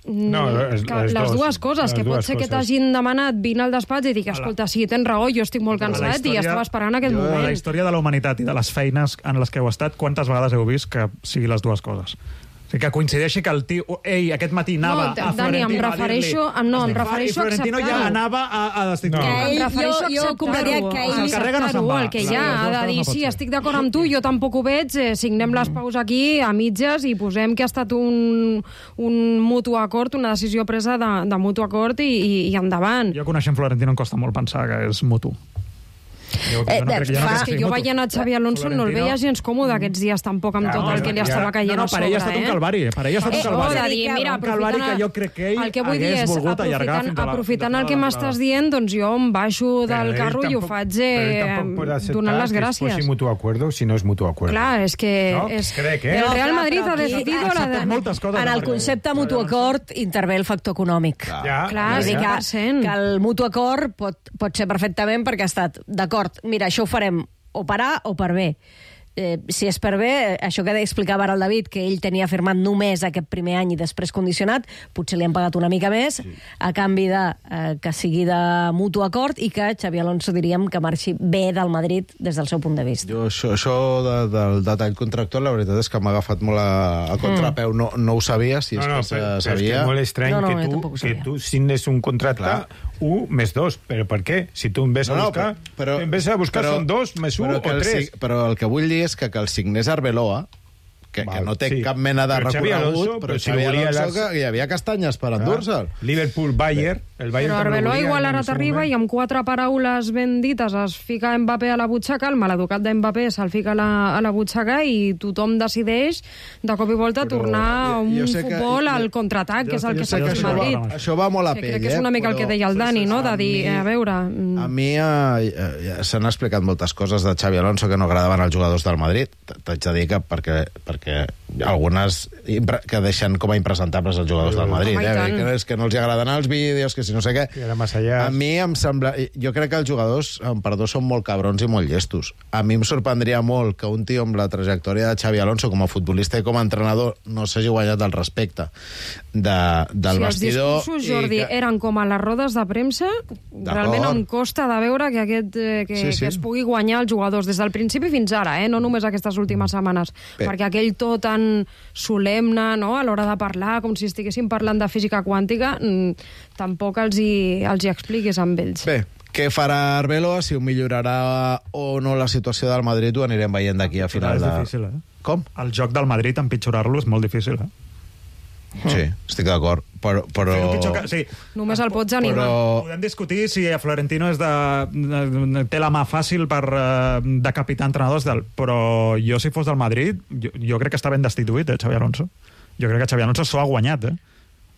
No, les, que les, les dos, dues coses, les que pot dues ser que coses. t'hagin demanat vine al despatx i dic, escolta, sí, tens raó, jo estic molt cansat història, i estava esperant aquest jo, moment. A la història de la humanitat i de les feines en les que heu estat, quantes vegades heu vist que sigui les dues coses? O sigui, que coincideixi que el tio... Ei, aquest matí anava no, a Florentino Dani, em refereixo, a dir-li... No, em refereixo I Florentino ja anava a, a destituir. No. Em refereixo jo, jo compraria que ell... a acceptar-ho, el que hi ha, ha de dir, sí, estic d'acord amb tu, jo tampoc ho veig, eh, signem les paus aquí a mitges i posem que ha estat un, un mutu acord, una decisió presa de, de mutu acord i, i, i endavant. Jo coneixent Florentino em costa molt pensar que és mutu. Jo, Eh, jo no crec, jo no fa, crec que jo veient a Xabi Alonso no el veia gens còmode aquests dies tampoc amb Ja, tot el que li ja, estava caient no, no, a sobre. per ell ha estat un calvari, eh? Per ell ha estat un calvari. Eh, oh, de dir, mira, un calvari que jo crec que ell el que vull dir hagués és, volgut allargar fins a la... aprofitant el que m'estàs dient, doncs jo em baixo del Però carro ell i ho tampoc- faig però ell eh, tampoc pot acceptar donant les que gràcies. fos mutu acuerdo si no és mutu acuerdo. Clar, és que... No? És, Crec, eh? El No, Real clar, Madrid però ha aquí decidit... ha la de... acceptat moltes coses. En el concepte mutu acord intervé el factor econòmic. Ja, Clar, Vull dir cent per que, cent. que el mutu acord pot, pot ser perfectament perquè ha estat, d'acord, mira, això ho farem o per A o per B. Eh, si és per bé, això que explicava ara el David, que ell tenia firmat només aquest primer any i després condicionat, potser li han pagat una mica més, sí. a canvi de eh, que sigui de mutu acord i que Xabi Alonso diríem que marxi bé del Madrid des del seu punt de vista. Jo això, això de, del detall contractual, la veritat és que m'ha agafat molt a, a contrapeu. Mm. No, no ho sabia, si és No, no, que però, se sabia. però és que és molt estrany No, no, jo que, tampoc tu, ho que sabia. tu signes un contracte Clar. un més dos. Però per què? Si tu em ves a No, no, buscar, però- em ves a buscar però- són dos més un però o que el tres. sig- Però el que vull dir és que, que el signés Arbeloa, que, que Val, no té sí. cap mena de Però Xabi recorregut, Alonso, però però si Xabi volia Alonso, les- que hi havia castanyes per endur-se'l. Liverpool-Bayern, el Bayern Però també Arbeloa volia igual en ara el seu t'arriba moment. i amb quatre paraules ben dites es fica Mbappé a la butxaca, el maleducat d'Mbappé se'l fica a la, a la butxaca i tothom decideix de cop i volta Però tornar a un jo sé que- futbol al jo- contraatac, que és el Jo que sé s'ha que fet això, a va, Madrid. això va molt a Que pell, crec que és eh? una mica el però- que deia el Dani, no? De dir, mi- a veure... mm, A mi eh, eh, s'han explicat moltes coses de Xabi Alonso que no agradaven als jugadors del Madrid. T'haig de dir que perquè, perquè algunes impre- que deixen com a impresentables els jugadors del Madrid. Home, i Eh? tant. Que, és que no els agraden els vídeos, que si no sé què. Que era massa allà. A mi em sembla... Jo crec que els jugadors, amb perdó, són molt cabrons i molt llestos. A mi em sorprendria molt que un tio amb la trajectòria de Xavi Alonso com a futbolista i com a entrenador no s'hagi guanyat el respecte de, del si vestidor. els discursos, Jordi, i que... eren com a les rodes de premsa, realment em costa de veure que, aquest, eh, que, Sí, sí. que es pugui guanyar els jugadors des del principi fins ara, eh? No només aquestes últimes setmanes, Bé. perquè aquell to tan solemne, no?, a l'hora de parlar, com si estiguéssim parlant de física quàntica, mm, tampoc els hi, els hi expliquis amb ells. Bé, què farà Arbeloa, si ho millorarà o no la situació del Madrid, ho anirem veient d'aquí a final És de... difícil, eh? Com? El joc del Madrid, empitjorar-lo, és molt difícil, eh? Sí, estic d'acord, però... però... Fer-ho pitjor que... Sí, Només el pots animar. Però- podem discutir si a Florentino és de, de, té la mà fàcil per uh, decapitar entrenadors, del, però jo, si fos del Madrid, jo, jo crec que està ben destituït, eh, Xavi Alonso. Jo crec que Xavi Alonso s'ho ha guanyat, eh,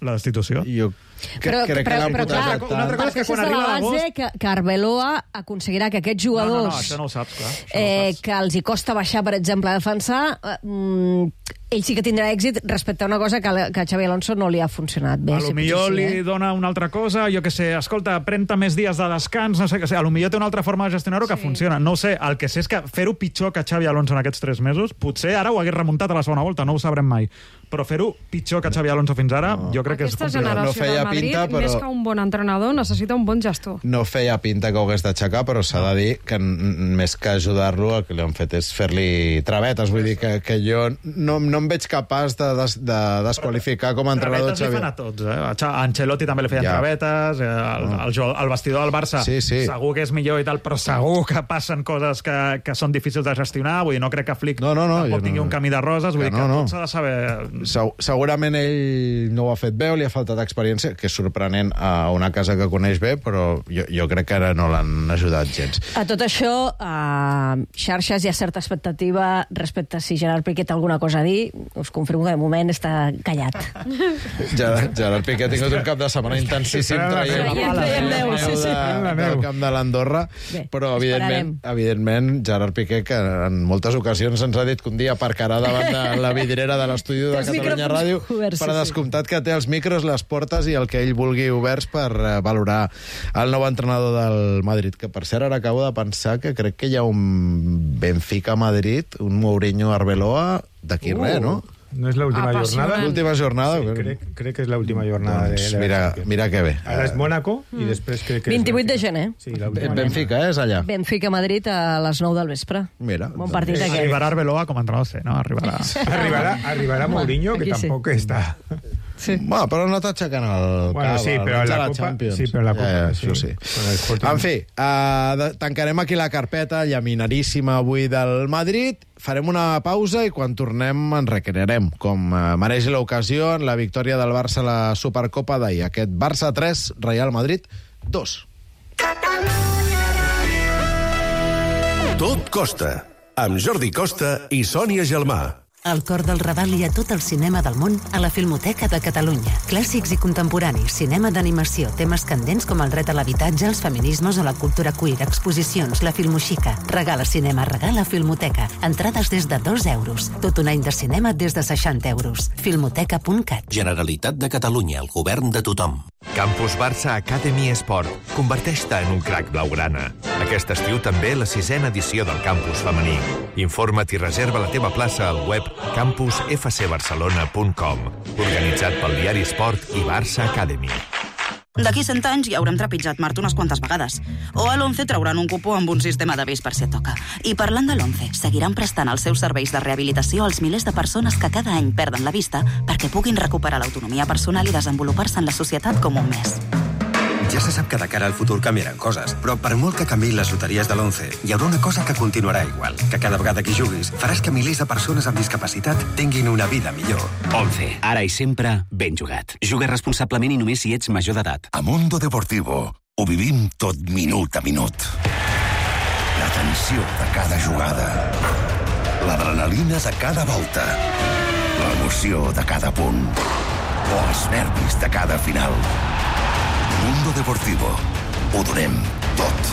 la destitució. Jo que, Però, crec però, que l'han però clar, posat una altra cosa és que parteixes quan de arriba la base l'agost- que, que Arbeloa aconseguirà que aquests No, no, jugadors no, això no ho saps, clar. Això no ho eh, saps. que els hi costa baixar, per exemple, a defensar, eh, mm, ell sí que tindrà èxit respecte a una cosa que, que a Xavi Alonso no li ha funcionat bé. A sí, lo millor potser li sí, eh? dona una altra cosa, jo que sé, escolta, pren-te més dies de descans, no sé què sé, a lo millor té una altra forma de gestionar-ho que Sí. funciona. No ho sé, el que sé és que fer-ho pitjor que Xavi Alonso en aquests tres mesos, potser ara ho hagués remuntat a la segona volta, no ho sabrem mai, però fer-ho pitjor que Xavi Alonso fins ara, no. jo crec que és Aquesta complicat. generació No feia del Madrid, pinta, però- més que un bon entrenador, necessita un bon gestor. No feia pinta que ho hagués d'aixecar, però s'ha de dir que n- més que ajudar-lo el que li han fet és fer-li travetes. Vull dir que, que jo no, no em veig capaç de, des, de desqualificar com a entrenador Travetes li fan Xavi. a tots, eh? A Xa- a Ancelotti també li feien Ja. travetes, eh? el, el, el, el vestidor del Barça Sí, sí. segur que és millor i tal, però segur que passen coses que, que són difícils de gestionar, vull dir, no crec que Flick No, no, no, tampoc jo tingui no- un camí de roses, vull que dir que no, no. tot s'ha de saber segurament ell no ho ha fet bé o li ha faltat experiència, que és sorprenent a una casa que coneix bé, però jo, jo crec que ara no l'han ajudat gens. A tot això, a xarxes hi ha certa expectativa respecte a si Gerard Piqué té alguna cosa a dir. Us confirmo que de moment està callat. Gerard, Gerard Piqué ha tingut un cap de setmana intensíssim traient la pala del camp de l'Andorra, però evidentment, evidentment Gerard Piqué, que en moltes ocasions ens ha dit que un dia aparcarà davant de la vidriera de l'estudi de Catalunya Ràdio, per descomptat que té els micros, les portes i el que ell vulgui oberts per valorar el nou entrenador del Madrid, que per cert ara acabo de pensar que crec que hi ha un Benfica-Madrid, un Mourinho-Arbeloa d'aquí uh. res, no? No és l'última jornada? L'última jornada? Sí, crec, crec que és l'última jornada. Doncs de, de mira, mira que bé. Ara és Mónaco i després crec que... vint-i-vuit de gener. Sí, Benfica, eh, és allà. Benfica-Madrid a les nou del vespre. Mira. Bon partit aquest. Arribarà Arbeloa com a entrenador C, no? Arribarà. arribarà, arribarà Mourinho, que sí. tampoc està... Sí. Bueno, però no t'aixequen el bueno, cap, sí, però el la, la Copa, Champions. sí, però la Copa, ja, ja, sí. sí. sí. En fi, uh, tancarem aquí la carpeta llaminaríssima avui del Madrid, farem una pausa i quan tornem ens recrearem, com uh, mereix l'ocasió en la victòria del Barça a la Supercopa d'ahir. Aquest Barça tres, Real Madrid dos. Tot costa, amb Jordi Costa i Sònia Gelmà. Al cor del Raval hi ha tot el cinema del món a la Filmoteca de Catalunya. Clàssics i contemporanis, cinema d'animació, temes candents com el dret a l'habitatge, els feminismes o la cultura queer, exposicions, la filmoxica. Regala cinema, regala Filmoteca. Entrades des de dos euros. Tot un any de cinema des de seixanta euros. Filmoteca punt cat. Generalitat de Catalunya, el govern de tothom. Campus Barça Academy Esport. Converteix-te en un crac blaugrana. Aquest estiu també la sisena edició del campus femení. Informa't i reserva la teva plaça al web campus f c barcelona punt com. Organitzat pel diari Esport i Barça Academy. D'aquí cent anys ja haurem trepitjat Mart unes quantes vegades. O a l'Once trauran un cupó amb un sistema d'avís per si et toca. I parlant de l'Once, seguiran prestant els seus serveis de rehabilitació als milers de persones que cada any perden la vista perquè puguin recuperar l'autonomia personal i desenvolupar-se en la societat com un mes. Ja se sap que de cara al futur canviaran coses, però per molt que canviïn les loteries de l'Once, hi haurà una cosa que continuarà igual, que cada vegada que juguis faràs que milers de persones amb discapacitat tinguin una vida millor. Once, ara i sempre, ben jugat. Juga responsablement i només si ets major d'edat. A Mundo Deportivo ho vivim tot minut a minut. La tensió de cada jugada, l'adrenalina de cada volta, l'emoció de cada punt o els nervis de cada final. Mundo Deportivo. Ho donem tot.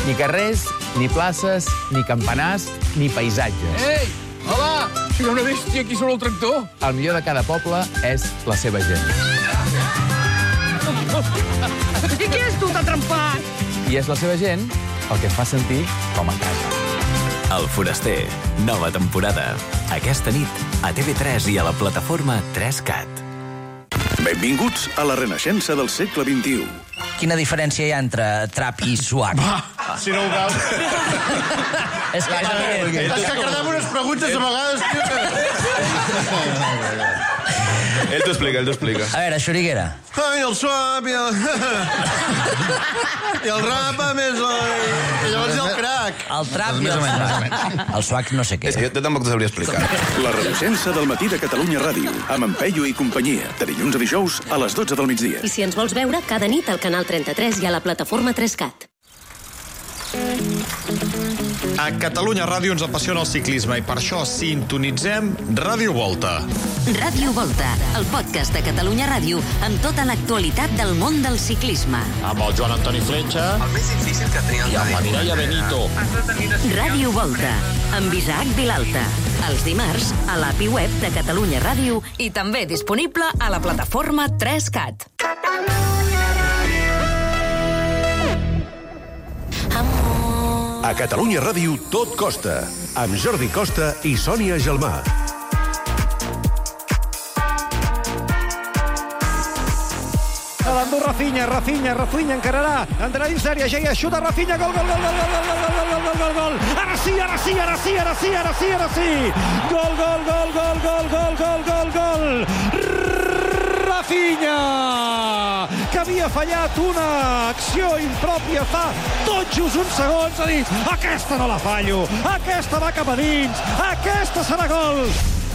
Ni carrers, ni places, ni campanars, ni paisatges. Ei! Hola! Hi ha una bèstia aquí sobre el tractor. El millor de cada poble és la seva gent. I qui és tu, t'ha trempat? I és la seva gent el que es fa sentir com a casa. El Foraster, nova temporada. Aquesta nit, a T V tres i a la plataforma tres cat. Benvinguts a la renaixença del segle vint-i-u. Quina diferència hi ha entre trap i swag? Va, si no ho veus... És que, és que, és que cardem unes preguntes a vegades, tio. Ell t'ho explica, ell t'ho explica. A veure, Xuriguera. Ai, el swap i el... I el rap, a més, i llavors hi ha el crack. El trap i el swag. El swag no sé què. És que jo tampoc t'ho sabria explicar. La renaixença del matí de Catalunya Ràdio, amb en Peyu i companyia, de dilluns a dijous a les dotze del migdia. I si ens vols veure, cada nit al canal trenta-tres i a la plataforma tres cat. A Catalunya Ràdio ens apassiona el ciclisme i per això sintonitzem Ràdio Volta. Ràdio Volta, el podcast de Catalunya Ràdio amb tota l'actualitat del món del ciclisme. Amb el Joan Antoni Fletxa. El més difícil que tenia el I amb la Mireia Benito. Ràdio Volta, amb Isaac Vilalta. Els dimarts, a l'A P I web de Catalunya Ràdio i també disponible a la plataforma tres cat. A Catalunya Ràdio tot costa, amb Jordi Costa i Sònia Gelmà. L'endú Rafinha, Rafinha, Rafinha encararà, entrarà dins l'àrea, Geia, xuta Rafinha, gol, gol, gol, gol, gol, gol, gol, gol, gol, gol, gol, ara sí, ara sí, ara sí, ara sí, ara sí, ara sí, gol, gol, gol, gol, gol, gol, gol, gol, gol, Rafinha, que havia fallat una acció impròpia fa tot just uns segons, ha dit, aquesta no la fallo, aquesta va cap a dins, aquesta serà gol.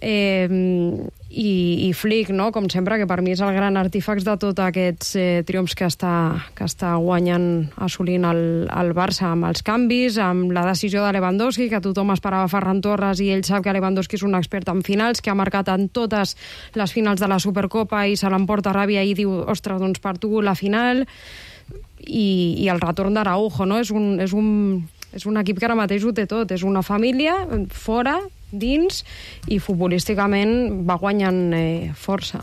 Eh, i, i Flick, no? Com sempre, que per mi és el gran artífex de tots aquests eh, triomfs que està, que està guanyant, assolint el, el Barça, amb els canvis, amb la decisió de Lewandowski, que tothom esperava Ferran Torres, i ell sap que Lewandowski és un expert en finals, que ha marcat en totes les finals de la Supercopa i se l'emporta ràbia i diu, ostres, doncs per tu la final, i, i el retorn d'Araujo, no? És un, és un, és un equip que ara mateix ho té tot, és una família fora, dins, i futbolísticament va guanyant eh, força.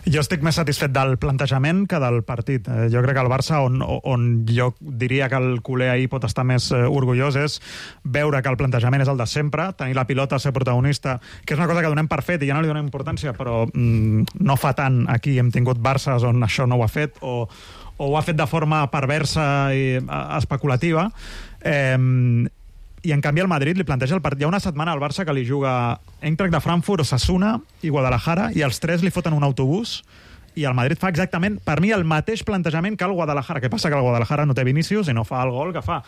Jo estic més satisfet del plantejament que del partit. Eh, jo crec que el Barça, on, on jo diria que el culer ahir pot estar més eh, orgullós, és veure que el plantejament és el de sempre, tenir la pilota, ser protagonista, que és una cosa que donem per fet i ja no li donem importància, però mm, no fa tant aquí. Hem tingut Barças on això no ho ha fet, o, o ho ha fet de forma perversa i especulativa. Eh, I en canvi el Madrid li planteja el partit. Hi ha una setmana al Barça que li juga Eintracht de Frankfurt, Osasuna i Guadalajara, i els tres li foten un autobús, i el Madrid fa exactament, per mi, el mateix plantejament que el Guadalajara. Què passa? Que el Guadalajara no té Vinícius i no fa el gol que fa,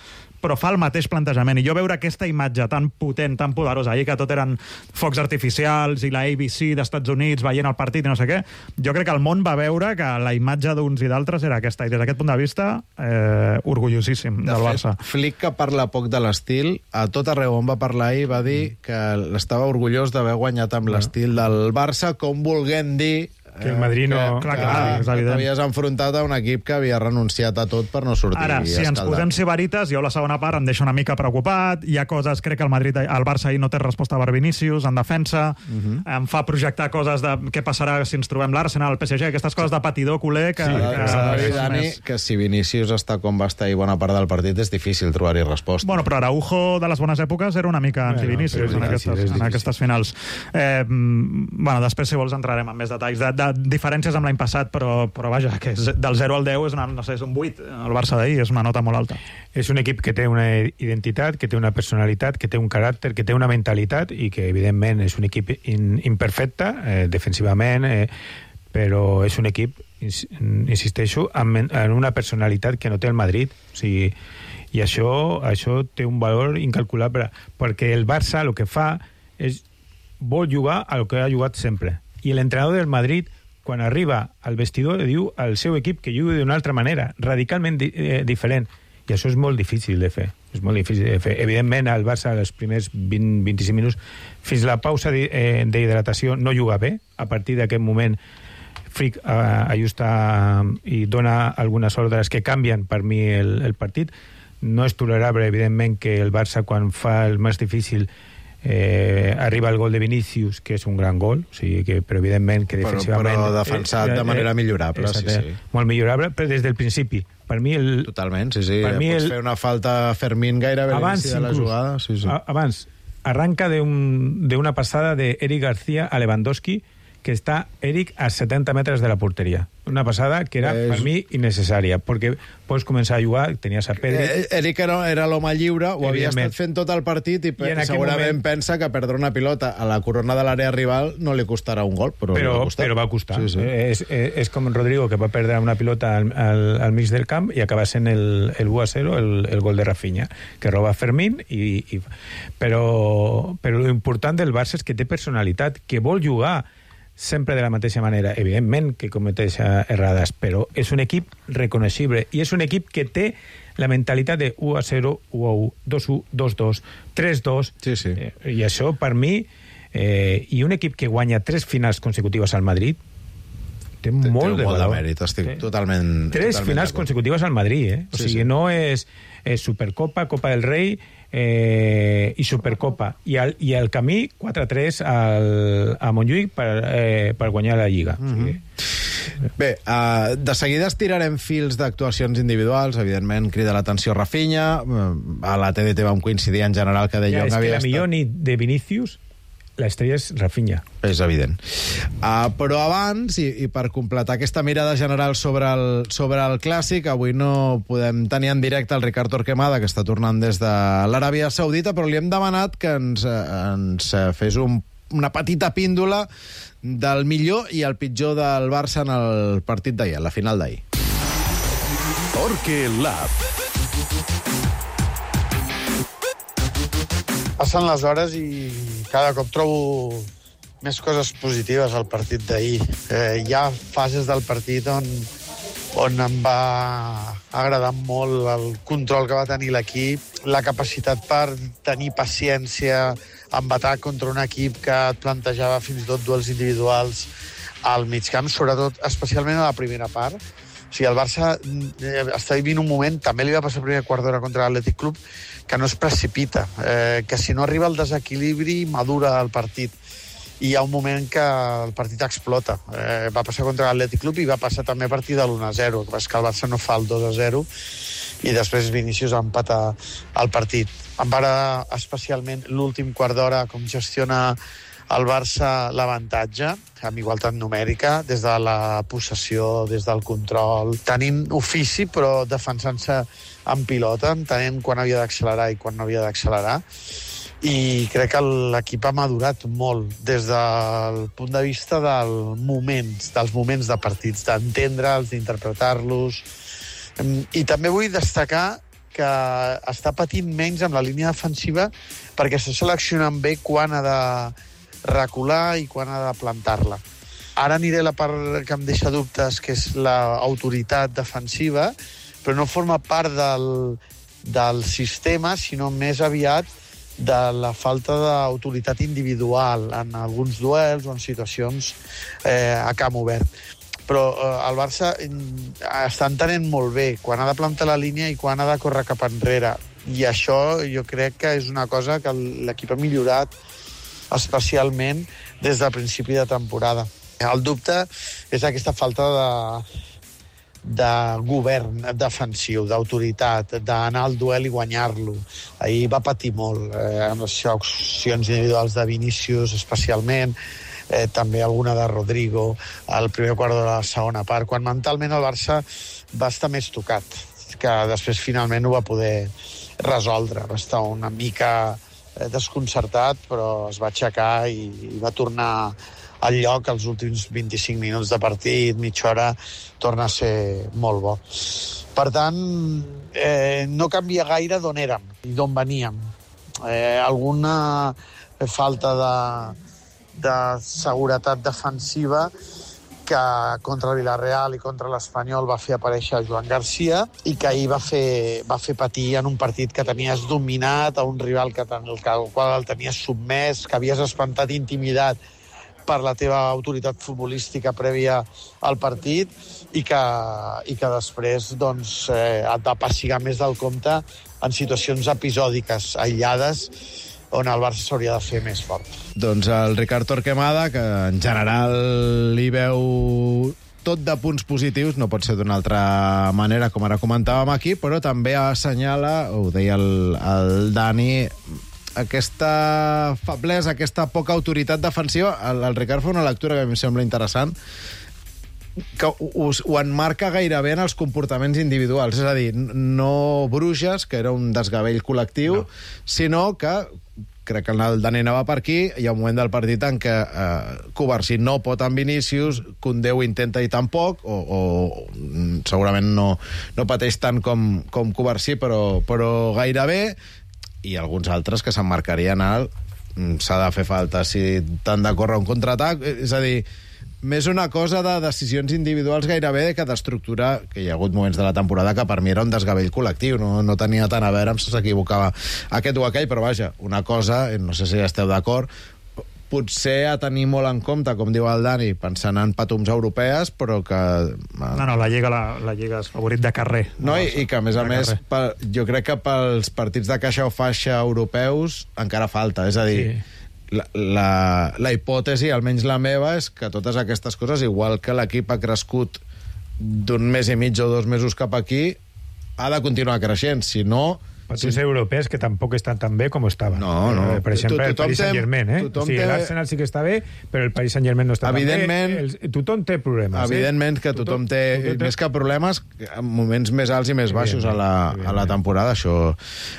però fa el mateix plantejament. I jo veure aquesta imatge tan potent, tan poderosa, ahir que tot eren focs artificials i la A B C d'Estats Units veient el partit i no sé què, jo crec que el món va veure que la imatge d'uns i d'altres era aquesta. I des d'aquest punt de vista, eh, orgullosíssim de del fet, Barça. Flick, que parla poc de l'estil, a tot arreu on va parlar ahir va dir que estava orgullós d'haver guanyat amb l'estil del Barça, com volguent dir que el Madrid no... Que, clar, que, clar, és que evident. t'havies enfrontat a un equip que havia renunciat a tot per no sortir Ara, si ens escaldat. posem sibarites, jo la segona part em deixa una mica preocupat. Hi ha coses, crec que el Madrid, el Barça ahir no té resposta per Vinícius en defensa, uh -huh. em fa projectar coses de què passarà si ens trobem l'Arsenal, el P S G, aquestes coses de patidor culer que... Sí, que, que, que, que, Dani, que si Vinícius està com va estar i bona part del partit és difícil trobar-hi resposta. Bueno, però Araujo de les bones èpoques era una mica bueno, anti-Vinícius en, aquestes, en aquestes finals. Eh, bueno, després, si vols, entrarem en més detalls de, de diferències amb l'any passat, però, però vaja, que és, del zero al deu és, una, no sé, és un vuit. El Barça d'ahir és una nota molt alta. És un equip que té una identitat, que té una personalitat, que té un caràcter, que té una mentalitat i que, evidentment, és un equip in, imperfecte, eh, defensivament, eh, però és un equip, insisteixo, amb, amb una personalitat que no té el Madrid. O sigui, i això, això té un valor incalculable, perquè el Barça el que fa és vol jugar a lo que ha jugat sempre. I l'entrenador del Madrid, quan arriba al vestidor, diu al seu equip que jugui d'una altra manera, radicalment di eh, diferent. I això és molt difícil de fer. És molt difícil de fer. Evidentment, el Barça, els primers vint a vint-i-cinc minuts, fins a la pausa d'hidratació, no juga bé. A partir d'aquest moment, Flick eh, ajusta i dona algunes ordres que canvien per mi el, el partit. No és tolerable, evidentment, que el Barça, quan fa el més difícil, Eh, arriba el gol de Vinícius, que és un gran gol, o sigui que, però evidentment que defensivament... Però, però defensat eh, de manera millorable, exacte, sí, sí. Molt millorable, però des del principi. Per mi el... Totalment, sí, sí. Per mi Pots el... fer una falta a Fermín gairebé abans, a l'inici de la inclús, jugada. Sí, sí. Abans, arranca de, un, de una passada de Eric García a Lewandowski, que està Eric a setanta metres de la porteria. Una passada que era, és... per mi, innecessària, perquè pots començar a jugar, tenies a Pedri... Eh, Eric era, era l'home lliure, ho havia estat fent tot el partit i, I segurament moment... pensa que perdre una pilota a la corona de l'àrea rival no li costarà un gol, però, però, va, costar. però va costar. Sí, sí. Eh, és, és, és com Rodrigo, que va perdre una pilota al, al, al mig del camp i acaba sent el, el u a zero, el, el gol de Rafinha, que roba Fermín, i, i... però, però l'important del Barça és que té personalitat, que vol jugar sempre de la mateixa manera, evidentment que cometeix errades, però és un equip reconeixible i és un equip que té la mentalitat de u a zero, u a u, dos a u, dos a dos, tres a dos, sí, sí. Eh, i això per mi, eh, i un equip que guanya tres finals consecutives al Madrid té, té molt té de valor. De mèrit, estic té. totalment... Tres totalment finals consecutives al Madrid, eh? O sí, sigui, sí. no és, és Supercopa, Copa del Rei eh, i Supercopa. I el, i el camí quatre a tres al, a Montjuïc per, eh, per guanyar la Lliga. Mm-hmm. O sigui, bé, uh, de seguida estirarem fils d'actuacions individuals, evidentment crida l'atenció Rafinha, a la T D T vam coincidir en general que De Jong ja, havia estat... És que la millor nit de Vinícius l'estrella és Rafinha. És evident. Uh, però abans, i, i per completar aquesta mirada general sobre el, sobre el Clàssic, avui no podem tenir en directe el Ricard Torquemada, que està tornant des de l'Aràbia Saudita, però li hem demanat que ens, ens fes un, una petita píndola del millor i el pitjor del Barça en el partit d'ahir, a la final d'ahir. Torque Lab. Passen les hores i cada cop trobo més coses positives al partit d'ahir. Eh, hi ha fases del partit on, on em va agradar molt el control que va tenir l'equip, la capacitat per tenir paciència en batallar contra un equip que et plantejava fins i tot duels individuals al migcamp, sobretot, especialment a la primera part. O sigui, el Barça eh, està vivint un moment, també li va passar el primer quart d'hora contra l'Atlètic Club, que no es precipita, eh, que si no arriba el desequilibri madura el partit. I hi ha un moment que el partit explota. Eh, va passar contra l'Atlètic Club i va passar també a partir de l'u a zero, que és que el Barça no fa el dos a zero i després Vinícius empata el partit. Em va agradar especialment l'últim quart d'hora, com gestiona el Barça l'avantatge, amb igualtat numèrica, des de la possessió, des del control, tenint ofici però defensant-se en pilota, entenent quan havia d'accelerar i quan no havia d'accelerar. I crec que l'equip ha madurat molt des del punt de vista del moments, dels moments de partits, d'entendre'ls, d'interpretar-los. I també vull destacar que està patint menys amb la línia defensiva perquè està seleccionant bé quan ha de recular i quan ha de plantar-la. Ara aniré a la part que em deixa dubtes, que és l'autoritat defensiva, però no forma part del, del sistema, sinó més aviat de la falta d'autoritat individual en alguns duels o en situacions eh, a camp obert. Però eh, el Barça està entenent molt bé quan ha de plantar la línia i quan ha de córrer cap enrere. I això jo crec que és una cosa que l'equip ha millorat especialment des del principi de temporada. El dubte és aquesta falta de, de govern defensiu, d'autoritat, d'anar al duel i guanyar-lo. Ahir va patir molt, eh, amb les accions individuals de Vinícius especialment, eh, també alguna de Rodrigo, al primer quart de la segona part, quan mentalment el Barça va estar més tocat, que després finalment ho va poder resoldre. Va estar una mica desconcertat, però es va aixecar i, i va tornar al lloc els últims vint-i-cinc minuts de partit, mitja hora, torna a ser molt bo. Per tant, eh, no canvia gaire d'on érem i d'on veníem. Eh, alguna falta de, de seguretat defensiva que contra el Villarreal i contra l'Espanyol va fer aparèixer Joan Garcia i que ahir va fer, va fer patir en un partit que tenies dominat, a un rival que ten, el, el qual el tenies submès, que havies espantat, intimidat per la teva autoritat futbolística prèvia al partit i que, i que després doncs, eh, et va passigar més del compte en situacions episòdiques, aïllades, on el Barça s'hauria de fer més fort. Doncs el Ricard Torquemada, que en general li veu tot de punts positius, no pot ser d'una altra manera, com ara comentàvem aquí, però també assenyala, ho deia el, el Dani, aquesta feblesa, aquesta poca autoritat defensiva. El, el Ricard fa una lectura que a mi em sembla interessant, que ho, ho enmarca gairebé en els comportaments individuals. És a dir, no Bruges, que era un desgavell col·lectiu, no. Sinó que, crec que el Dani anava per aquí, hi ha un moment del partit en què eh, Covarsí no pot amb Vinícius, Koundé ho intenta i tampoc, o, o segurament no, no pateix tant com, com Covarsí, però, però gairebé, i alguns altres que s'emmarcarien al s'ha de fer falta si t'han de córrer un contraatac. És a dir, més una cosa de decisions individuals gairebé que d'estructura, que hi ha hagut moments de la temporada que per mi era un desgavell col·lectiu, no, no tenia tant a veure amb si s'equivocava aquest o aquell, però vaja, una cosa, no sé si esteu d'acord, potser a tenir molt en compte, com diu el Dani, pensant en patums europees, però que... No, no, la Lliga, la, la Lliga és favorit de carrer. No, i, i que, a més a més, per, jo crec que pels partits de caixa o faixa europeus encara falta, és a dir... Sí. La, la, la hipòtesi, almenys la meva, és que totes aquestes coses, igual que l'equip ha crescut d'un mes i mig o dos mesos cap aquí, ha de continuar creixent, si no... Partits europeus que tampoc estan tan bé com estaven. No, no. Per exemple, el Paris Saint-Germain, eh? O sigui, l'Arsenal sí que està bé, però el Paris Saint-Germain no està tan bé. El, tothom té problemes. Evidentment que tothom, tothom té, tothom té, més que problemes, moments més alts i més baixos a la, a la temporada. Això,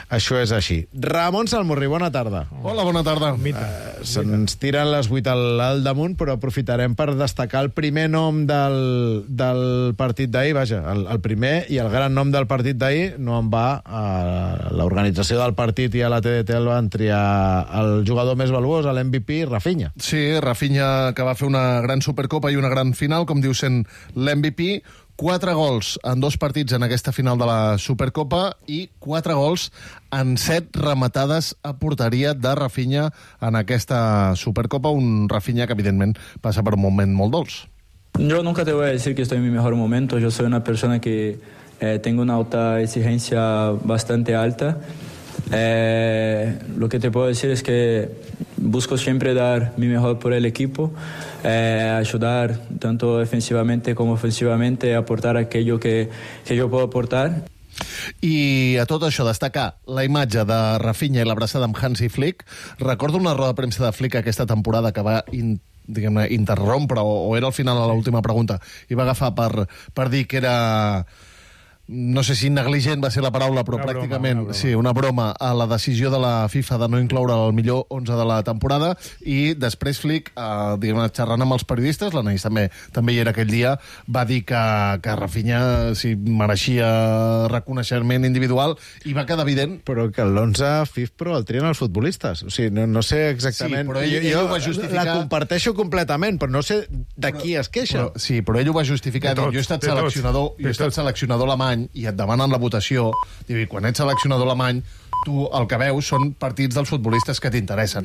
això és així. Ramon Salmurri, bona tarda. Hola, bona tarda. Uh, se'ns tiren les vuit al, al damunt, però aprofitarem per destacar el primer nom del, del partit d'ahir, vaja, el, el primer i el gran nom del partit d'ahir no en va a l'organització del partit i a la T D T el van triar el jugador més valuós, l'M V P, Rafinha. Sí, Rafinha, que va fer una gran Supercopa i una gran final, com diu sent l'M V P. Quatre gols en dos partits en aquesta final de la Supercopa i quatre gols en set rematades a porteria de Rafinha en aquesta Supercopa. Un Rafinha que, evidentment, passa per un moment molt dolç. Yo nunca te voy a decir que estoy en mi mejor momento. Yo soy una persona que eh, tengo una alta exigencia bastante alta. Eh, lo que te puedo decir es que busco siempre dar mi mejor por el equipo, eh, ayudar tanto defensivamente como ofensivamente, aportar aquello que, que yo puedo aportar. I a tot això, destacar la imatge de Rafinha i l'abraçada amb Hansi Flick. Recordo una roda de premsa de Flick aquesta temporada que va in, diguem-ne, interrompre, o, o era al final a l'última pregunta, i va agafar per, per dir que era... no sé si negligent va ser la paraula, però una pràcticament broma, una broma. Sí, una broma a la decisió de la FIFA de no incloure el millor onze de la temporada, i després Flick, eh, diguem, xerrant amb els periodistes, l'Anaïs també, també hi era aquell dia, va dir que, que Rafinha si mereixia reconeixement individual, i va quedar evident... Però que l'onze F I F Pro el trien els futbolistes. O sigui, no, no sé exactament... Sí, però ell, jo, ell jo ho va justificar... La comparteixo completament, però no sé de qui es queixa. Però, sí, però ell ho va justificar. Tots, jo he estat seleccionador, jo he estat seleccionador alemany, i et demanen la votació, diu, i quan ets seleccionador alemany, tu el que veus són partits dels futbolistes que t'interessen.